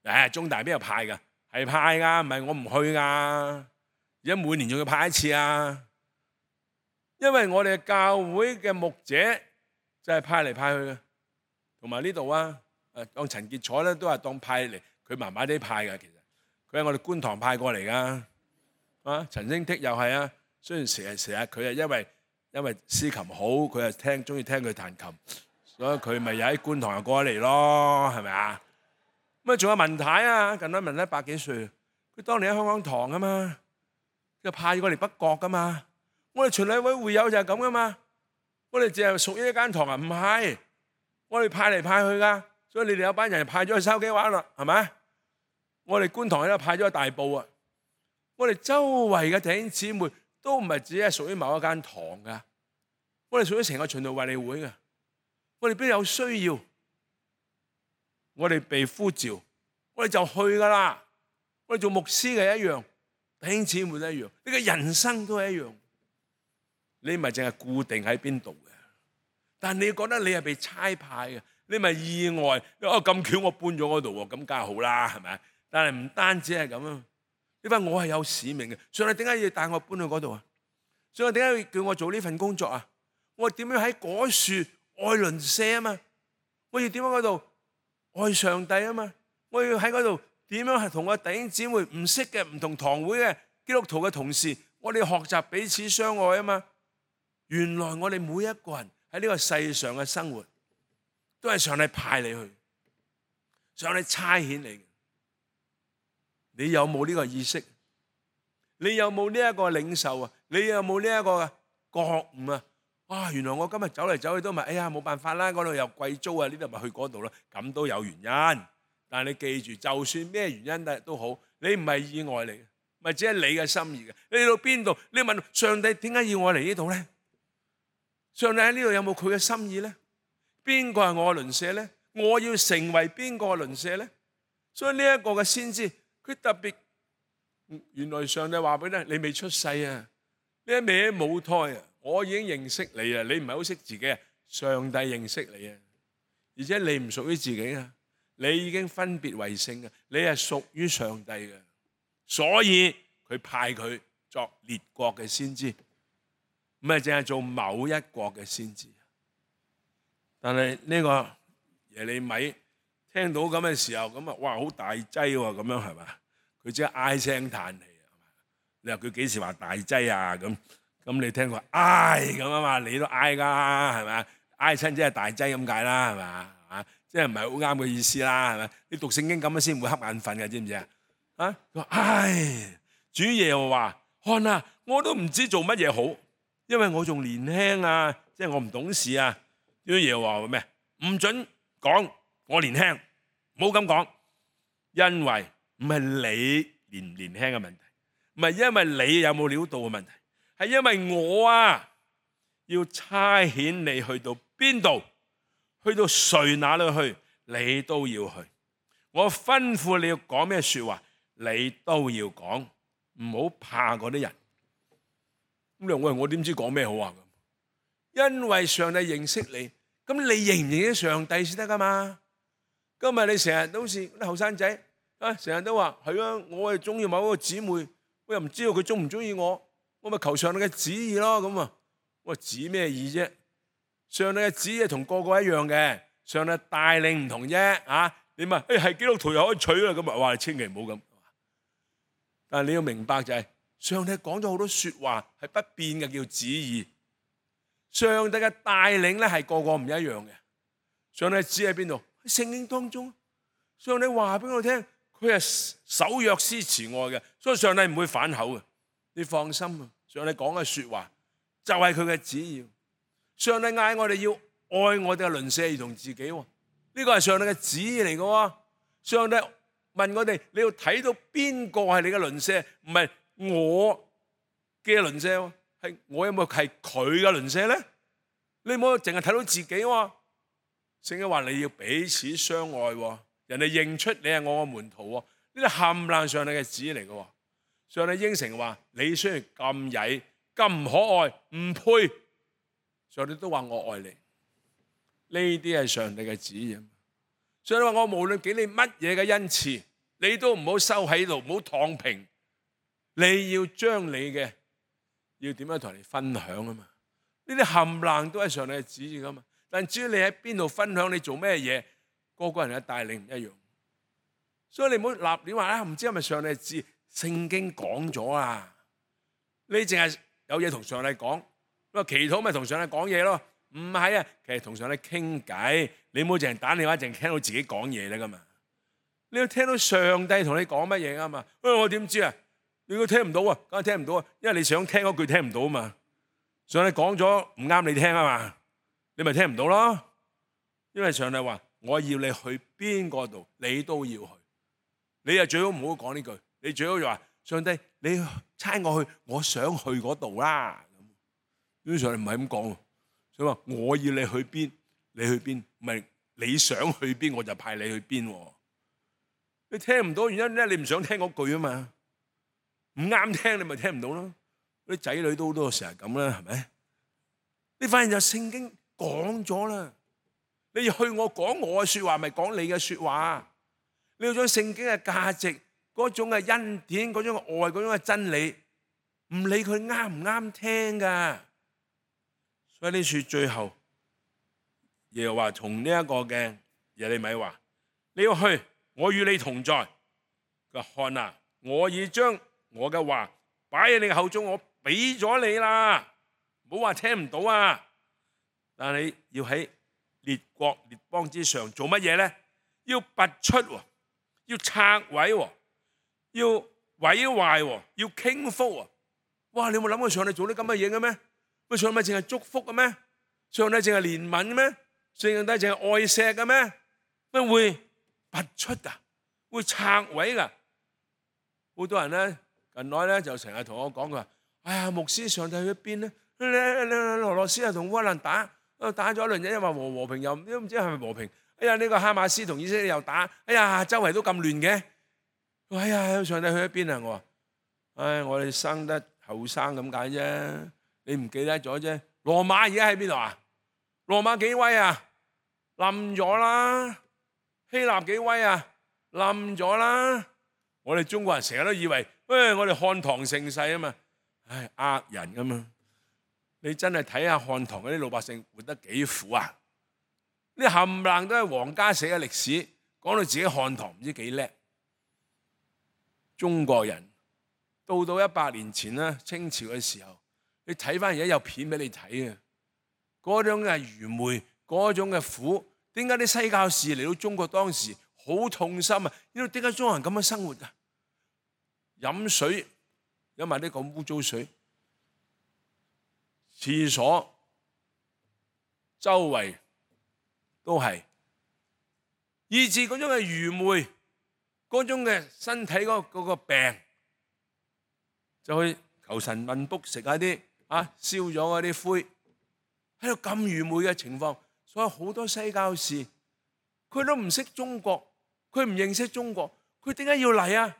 誒，中大邊有派㗎？係派㗎，唔係我唔去㗎。而家每年仲要派一次啊！因為我哋教會嘅牧者就係派嚟派去嘅，同埋呢度啊，誒當陳傑彩咧都係當派嚟，佢麻麻地派㗎。其實佢係我哋觀塘派過嚟㗎。啊，陳星剔又係啊，雖然成日成日佢係因為因為司琴好，佢係聽中意聽佢彈琴，所以佢咪又喺觀塘又過嚟咯，係咪啊？咁啊，仲有文太啊，近來文太百幾歲，佢當年喺香港堂啊嘛，佢派過嚟北角噶嘛。我哋循禮會會友就係咁噶嘛，我哋淨係屬於一間堂啊？唔係，我哋派嚟派去噶，所以你哋有班人派咗去筲箕灣啦，係咪？我哋觀塘喺度派咗去大埔啊，我哋周圍嘅弟兄姊妹都唔係只係屬於某一間堂噶，我哋屬於成個循道衛理會噶，我哋邊有需要？我哋被呼召，我哋就去噶啦。我哋做牧師嘅一樣，弟兄姊妹都一樣，你嘅人生都係一樣。你咪淨係固定喺邊度嘅，但係你覺得你係被差派嘅，你咪意外。哦，咁巧我搬咗嗰度喎，咁梗係好啦，係咪？但係唔單止係咁啊，你話我係有使命嘅。上帝點解要帶我搬去嗰度啊？上帝點解要叫我做呢份工作啊？我點樣喺果樹愛鄰舍啊嘛？我要點樣嗰度？愛上帝啊嘛！我要喺嗰度點樣係同我弟兄姊妹唔識嘅唔同堂會嘅基督徒嘅同事，我哋學習彼此相愛啊嘛！原來我哋每一個人喺呢個世上嘅生活，都係上帝派你去，上帝差遣你。你有冇呢個意識？你有冇呢一個領受啊？你有冇呢一個覺悟啊？啊！原來我今日走嚟走去都咪，哎呀冇辦法啦，嗰度又貴租啊，呢度咪去嗰度咯，咁都有原因。但係你記住，就算咩原因都好，你唔係意外嚟嘅，咪只係你嘅心意嘅。你去到邊度，你問上帝點解要我嚟呢度咧？上帝喺呢度有冇佢嘅心意咧？邊個係我嘅鄰舍咧？我要成為邊個嘅鄰舍咧？所以呢一個嘅先知，佢特別，原來上帝話俾你，你未出世啊，你係未喺母胎啊。我已經認識你啊！你唔係好識自己啊，上帝認識你啊！而且你唔屬於自己啊，你已經分別為聖啊！你係屬於上帝嘅，所以佢派佢作列國嘅先知，唔係淨係做某一國嘅先知。但係呢個耶利米聽到咁嘅時候，咁啊，哇，好大劑喎！咁樣係嘛？佢即係唉聲嘆氣啊！你話佢幾時話大劑啊？咁？咁你聽佢嗌咁啊嘛，你都嗌㗎，係咪？嗌親即係大劑咁解啦，係咪？啊，即係唔係好啱嘅意思啦，係咪？你讀聖經咁樣先會瞌眼瞓嘅，知唔知啊？啊，佢話唉，主耶和華，看啊，我都唔知做乜嘢好，因為我仲年輕啊，即係我唔懂事啊。主耶和華話咩？唔准講我年輕，唔好咁講，因為唔係你年唔年輕嘅問題，唔係因為你有冇料到嘅問題。係因為我啊，要差遣你去到邊度，去到誰那裏去，你都要去。我吩咐你要講咩說話，你都要講，唔好怕嗰啲人。咁你話我我點知講咩好啊？因為上帝認識你，咁你認唔認識上帝先得噶嘛？今日你成日都好似啲後生仔啊，成日都話係啊，我係中意某一個姊妹，我又唔知道佢中唔中意我。我咪求上帝嘅旨意咯，咁啊，我話旨咩意啫？上帝嘅旨意同個個一樣嘅，上帝帶領唔同啫，啊！你問誒係基督徒又可以娶啦，咁啊，哇！你千祈唔好咁。但係你要明白就係上帝講咗好多説話係不變嘅，叫旨意。上帝嘅帶領咧係個個唔一樣嘅。上帝旨喺邊度？喺聖經當中。上帝話俾我聽，佢係守約施慈愛嘅，所以上帝唔會反口嘅。你放心啊！上帝講嘅説話就係佢嘅旨意。上帝嗌我哋要愛我哋嘅鄰舍如同自己喎，呢個係上帝嘅旨意嚟嘅喎。上帝問我哋，你要睇到邊個係你嘅鄰舍，唔係我嘅鄰舍喎，係我有冇係佢嘅鄰舍咧？你唔好淨係睇到自己喎。聖經話你要彼此相愛喎，人哋認出你係我嘅門徒喎，呢啲冚唪唥上帝嘅旨意嚟嘅喎。上帝應承話你雖然咁曳咁唔可愛唔配，上帝都話我愛你。呢啲係上帝嘅旨意。上帝話我無論給你乜嘢嘅恩賜，你都唔好收喺度，唔好躺平。你要將你嘅要點樣同人哋分享啊嘛？呢啲冚唪唥都係上帝嘅旨意噶嘛。但至於你喺邊度分享，你做咩嘢，個個人嘅帶領唔一樣。所以你唔好立亂話啊，唔知係咪上帝嘅旨意？聖經講咗啊，你淨係有嘢同上帝講，咁啊祈禱咪同上帝講嘢咯。唔係啊，其實同上帝傾偈，你唔好淨係打電話，淨係聽到自己講嘢啦噶嘛。你要聽到上帝同你講乜嘢啊嘛。哎，我點知啊？你都聽唔到啊，梗係聽唔到啊，因為你想聽嗰句聽唔到啊嘛。上帝講咗唔啱你聽啊嘛，你咪聽唔到咯。因為上帝話我要你去邊個度，你都要去。你啊最好唔好講呢句。你最好就話上帝，你差我去，我想去嗰度啦。咁上帝唔係咁講，所以話我要你去邊，你去邊，唔係你想去邊我就派你去邊。你聽唔到原因咧，你唔想聽嗰句啊嘛，唔啱聽你咪聽唔到咯。啲仔女都好多成日咁啦，係咪？你發現就聖經講咗啦，你要去我講我嘅說話，咪講你嘅說話。你要將聖經嘅價值，嗰種嘅恩典，嗰種嘅愛，嗰種嘅真理，唔理佢啱唔啱聽噶。所以呢書最後耶和華從呢一個嘅耶利米話：你要去，我與你同在。佢話看啊，我已將我嘅話擺喺你嘅口中，我俾咗你啦。唔好話聽唔到啊！但係你要喺列國列邦之上做乜嘢咧？要拔出，要拆毀。要毀壞，要傾覆啊！哇！你有冇諗過上帝做啲咁嘅嘢嘅咩？乜上帝淨係祝福嘅咩？上帝淨係憐憫嘅咩？上帝淨係愛錫嘅咩？乜會拔出噶？會拆毀噶？好多人咧近來咧就成日同我講，佢話：哎呀，牧師，上帝去咗邊咧？俄羅斯啊同烏克蘭打，打咗一輪，因為和和平又都唔知係咪和平。哎呀，呢個哈馬斯同以色列又打，哎呀，周圍都咁亂嘅。哎呀，上帝去咗邊啊？我話，唉，我哋生得後生咁解啫，你唔記得咗啫。羅馬而家喺邊度啊？羅馬幾威啊？冧咗啦。希臘幾威啊？冧咗啦。我哋中國人成日都以為，喂，我哋漢唐盛世啊嘛，唉，呃人噶嘛。你真係睇下漢唐嗰啲老百姓活得幾苦啊！呢冚唪唥都係皇家寫嘅歷史，講到自己漢唐唔知幾叻。中國人到到一百年前啦，清朝嘅時候，你睇翻而家有片俾你睇啊！嗰種嘅愚昧，嗰種嘅苦，點解啲西教士嚟到中國當時好痛心啊？因為點解中國人咁樣生活啊？飲水飲埋啲咁污糟水，廁所周圍都係，以致嗰種嘅愚昧。嗰種嘅身體嗰嗰個病，就去求神問卜，食下啲啊燒咗嗰啲灰，喺度咁愚昧嘅情況，所以好多西教士佢都唔識中國，佢唔認識中國，佢點解要嚟啊？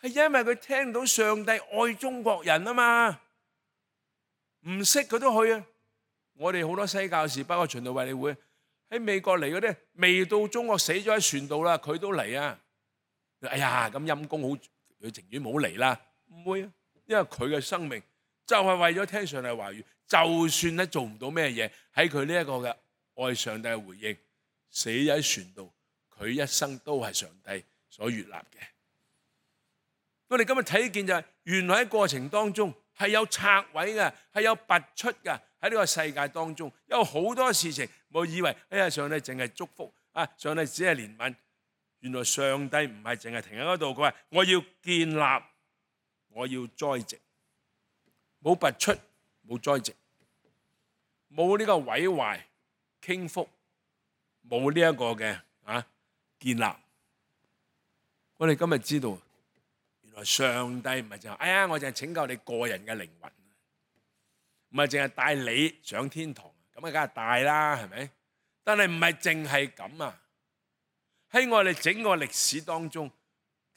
係因為佢聽到上帝愛中國人啊嘛，唔識佢都去啊！我哋好多西教士，包括循道衛理會喺美國嚟嗰啲，未到中國死咗喺船度啦，佢都嚟啊！哎呀，咁陰公好，佢情願冇嚟啦，唔會啊，因為佢嘅生命就係為咗聽上帝話語，就算咧做唔到咩嘢，喺佢呢一個嘅愛上帝嘅回應，死喺船度，佢一生都係上帝所悅納嘅。我哋今日睇見就係原來喺過程當中係有拆毀嘅，係有拔出嘅。喺呢個世界當中有好多事情，我以為哎呀上帝淨係祝福啊，上帝只係憐憫。原來上帝唔係淨係停喺嗰度，佢話我要建立，我要栽植，冇拔出，冇栽植，冇呢個毀壞傾覆，冇呢一個嘅啊建立。我哋今日知道，原來上帝唔係淨係哎呀，我淨係拯救你個人嘅靈魂，唔係淨係帶你上天堂，咁啊梗係帶啦，係咪？但係唔係淨係咁啊！喺我哋整個歷史當中，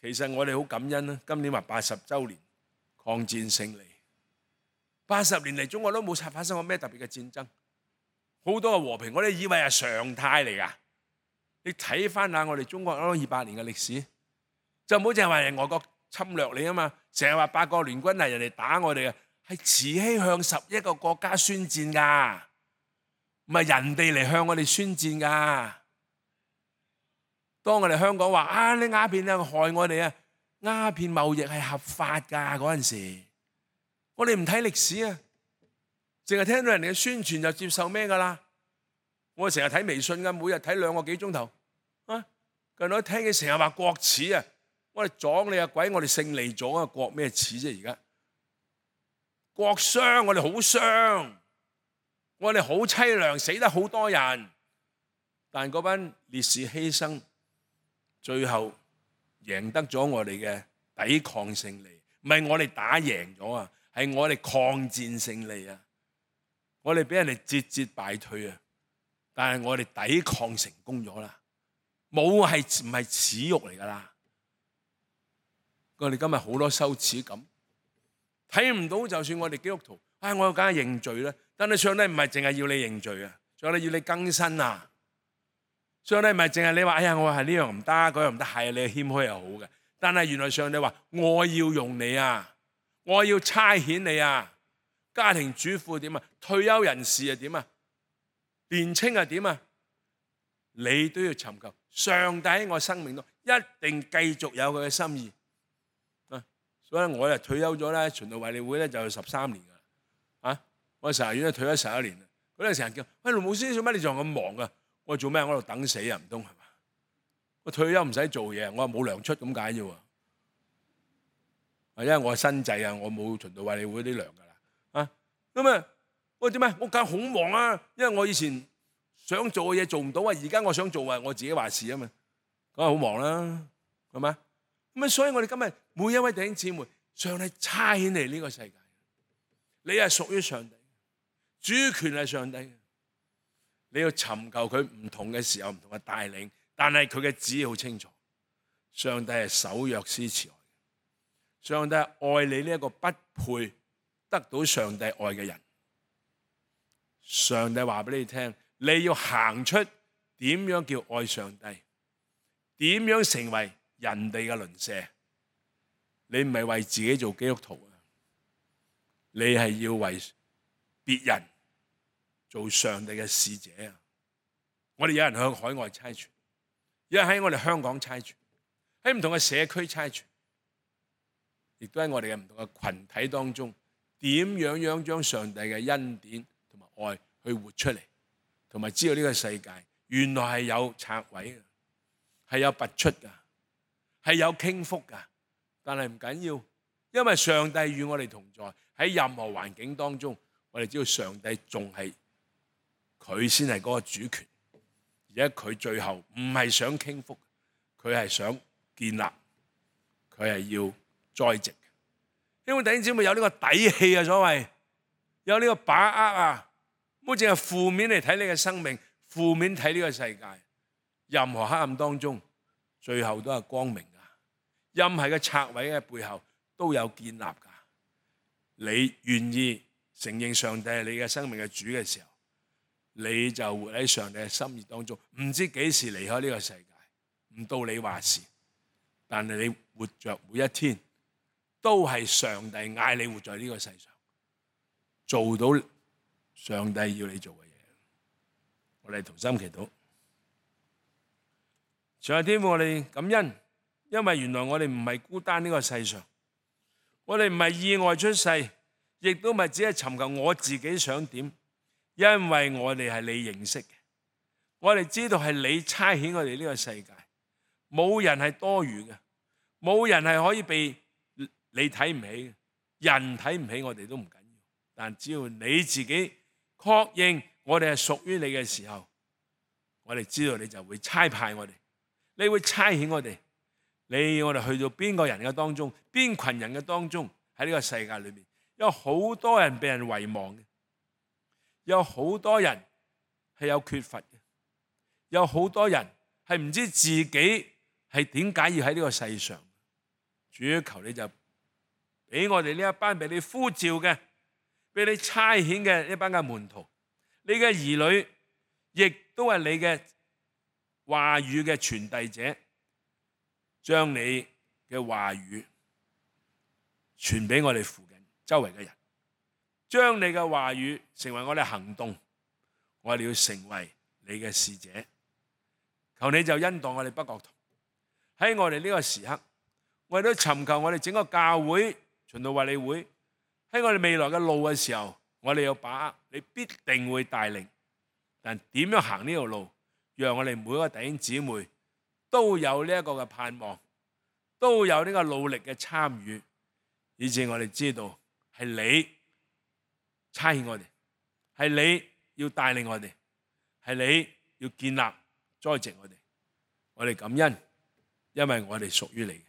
其實我哋好感恩啦。今年話八十週年抗戰勝利，八十年嚟中國都冇發生過咩特別嘅戰爭，好多嘅和平，我哋以為係常態嚟㗎。你睇翻下我哋中國嗰二百年嘅歷史，就唔好淨係話人外國侵略你啊嘛，成日話八國聯軍係人哋打我哋啊，係慈禧向十一個國家宣戰㗎，唔係人哋嚟向我哋宣戰㗎。當我哋香港話啊，你鴉片啊害我哋啊，鴉片貿易係合法㗎嗰陣時，我哋唔睇歷史啊，淨係聽到人哋嘅宣傳就接受咩㗎啦。我成日睇微信㗎，每日睇兩個幾鐘頭啊。近來聽佢成日話國恥啊，我哋撞你個鬼，我哋勝利咗啊，國咩恥啫？而家國傷，我哋好傷，我哋好凄涼，死得好多人，但嗰班烈士犧牲，最後贏得咗我哋嘅抵抗勝利，唔係我哋打贏咗啊，係我哋抗戰勝利啊！我哋俾人哋節節敗退啊，但係我哋抵抗成功咗啦，冇係唔係恥辱嚟㗎啦！我哋今日好多羞恥感，睇唔到就算我哋基督徒，唉，我梗係認罪啦，但係上帝唔係淨係要你認罪啊，上帝要你更新啊！上帝唔係淨係你話，哎呀，我係呢樣唔得，嗰樣唔得，係你謙虛又好嘅。但係原來上帝話，我要用你啊，我要差遣你啊。家庭主婦點啊？退休人士係點啊？年青係點啊？你都要尋求上帝喺我生命中一定繼續有佢嘅心意啊！所以我就退休咗咧，循道衛理會咧就十三年㗎啦。啊，我神學院都退咗十一年啦。嗰陣成日叫，喂，盧牧師做乜你仲咁忙㗎？我做咩？我喺度等死啊？唔通係嘛？我退休唔使做嘢，我話冇糧出咁解啫喎。因為我係新制啊，我冇循道衛理會啲糧㗎啦。啊，咁啊，我點啊？我梗係好忙啊，因為我以前想做嘅嘢做唔到啊，而家我想做啊，我自己話事啊嘛，梗係好忙啦，係嘛？咁啊，所以我哋今日每一位弟兄姊妹，上帝差遣嚟呢個世界，你係屬於上帝，主權係上帝嘅。你要尋求佢唔同嘅時候，唔同嘅帶領，但係佢嘅旨意好清楚。上帝係守約施慈愛，上帝係愛你呢一個不配得到上帝愛嘅人。上帝話俾你聽，你要行出點樣叫愛上帝，點樣成為人哋嘅鄰舍。你唔係為自己做基督徒啊，你係要為別人做上帝嘅使者啊！我哋有人向海外差傳，有人喺我哋香港差傳，喺唔同嘅社區差傳，亦都喺我哋嘅唔同嘅群體當中，點樣樣將上帝嘅恩典同埋愛去活出嚟，同埋知道呢個世界原來係有拆毀嘅，係有拔出㗎，係有傾覆㗎，但係唔緊要，因為上帝與我哋同在，喺任何環境當中，我哋知道上帝仲係。佢先係嗰個主權，而家佢最後唔係想傾覆，佢係想建立，佢係要栽植。因為弟兄姊妹有呢個底氣啊，所謂有呢個把握啊，唔好淨係負面嚟睇你嘅生命，負面睇呢個世界。任何黑暗當中，最後都係光明噶。任何嘅拆毀嘅背後都有建立噶。你願意承認上帝係你嘅生命嘅主嘅時候，你就活喺上帝嘅心意當中，唔知幾時離開呢個世界，唔到你話事，但係你活着每一天，都係上帝嗌你活在呢個世上，做到上帝要你做嘅嘢。我哋同心祈禱，上帝天父，我哋感恩，因為原來我哋唔係孤單呢個世上，我哋唔係意外出世，亦都唔係只係尋求我自己想點，因為我哋係你認識嘅，我哋知道係你差遣我哋呢個世界，冇人係多餘嘅，冇人係可以被你睇唔起嘅，人睇唔起我哋都唔緊要，但只要你自己確認我哋係屬於你嘅時候，我哋知道你就會差派我哋，你會差遣我哋，你要我哋去到邊個人嘅當中，邊群人嘅當中，喺呢個世界裏面，有好多人被人遺忘嘅，有好多人係有缺乏嘅，有好多人係唔知自己係點解要喺呢個世上。主求你就俾我哋呢一班被你呼召嘅、被你差遣嘅一班嘅門徒，你嘅兒女，亦都係你嘅話語嘅傳遞者，將你嘅話語傳俾我哋附近周圍嘅人，將你嘅話語成為我哋行動，我哋要成為你嘅使者。求你就恩待我哋北角堂，喺我哋呢個時刻，我哋都尋求我哋整個教會循道衛理會喺我哋未來嘅路嘅時候，我哋有把握，你必定會帶領。但點樣行呢條路，讓我哋每一個弟兄姊妹都有呢一個嘅盼望，都有呢個努力嘅參與，以致我哋知道係你差遣我哋，係你要帶領我哋，係你要建立栽植我哋。我哋感恩，因為我哋屬於你。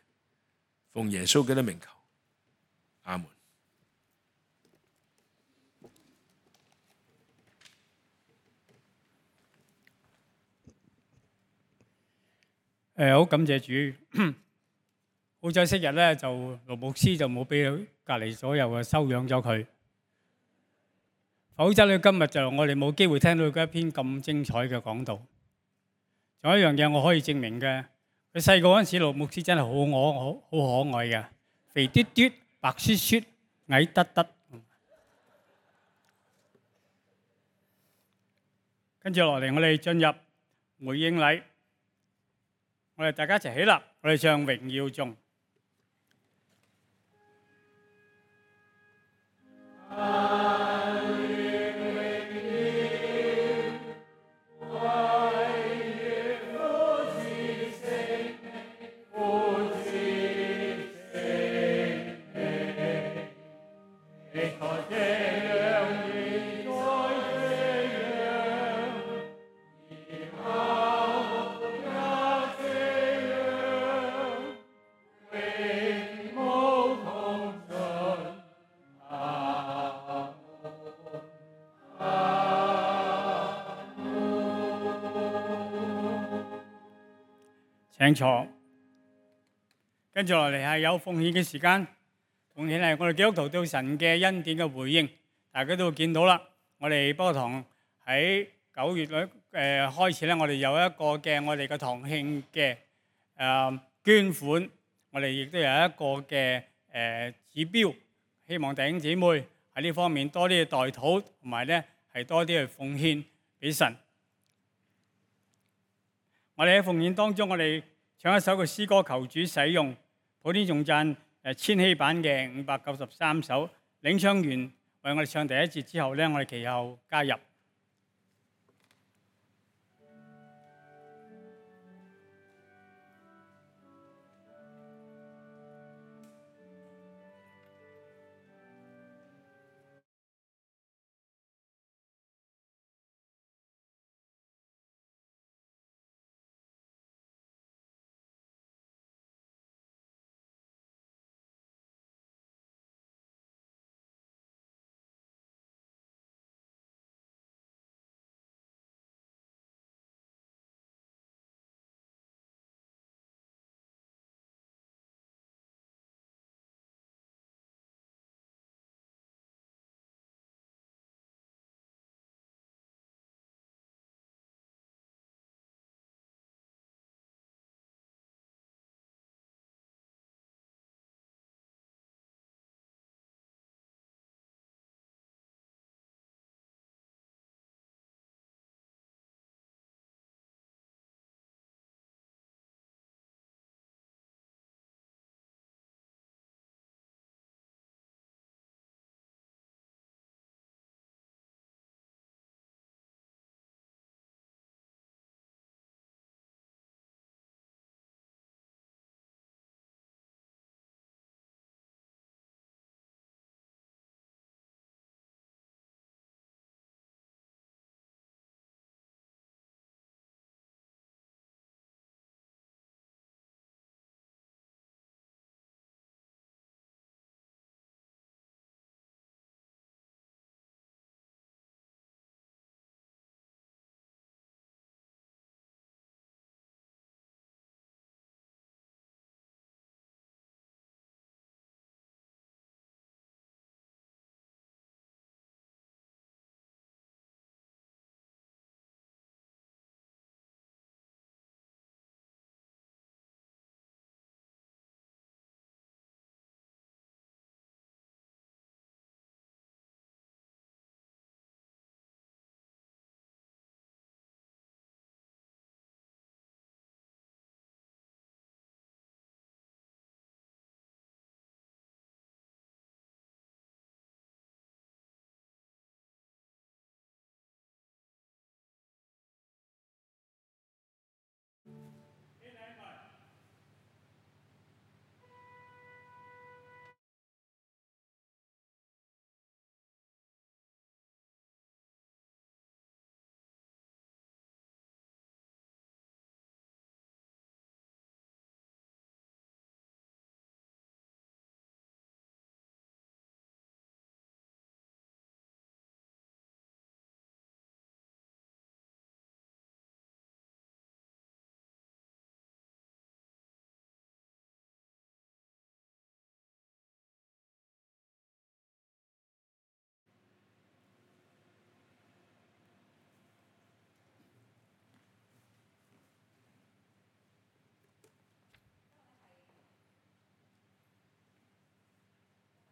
奉耶穌基督名求，阿門。誒好感謝主，好在昔日咧就盧牧師就冇俾隔離左右嘅收養咗佢，否則咧今日就我哋冇機會聽到佢一篇咁精彩嘅講道。仲有一樣嘢我可以證明嘅，佢細個嗰陣時，盧牧師真係好可好好可愛嘅，肥嘟嘟、白雪雪、矮得得。跟住落嚟，我哋進入回應禮。我哋大家一齊起立，我哋唱榮耀頌。請坐。跟住落嚟係有奉獻嘅時間，奉獻係我哋基督徒對神嘅恩典嘅回應。大家都會見到啦，我哋北角堂喺九月裏誒開始咧，我哋有一個嘅我哋嘅堂慶嘅誒捐款，我哋亦都有一個嘅誒指標，希望弟兄姊妹喺呢方面多啲嘅代禱，同埋咧係多啲去奉獻俾神。我哋喺奉獻當中，我哋唱一首嘅詩歌，求主使用普天頌讚誒千禧版嘅五百九十三首。領唱完為我哋唱第一節之後咧，我哋其後加入。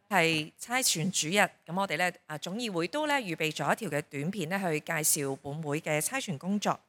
係差傳主日，咁我哋咧啊總議會都咧預備咗一條嘅短片咧去介紹本會嘅差傳工作。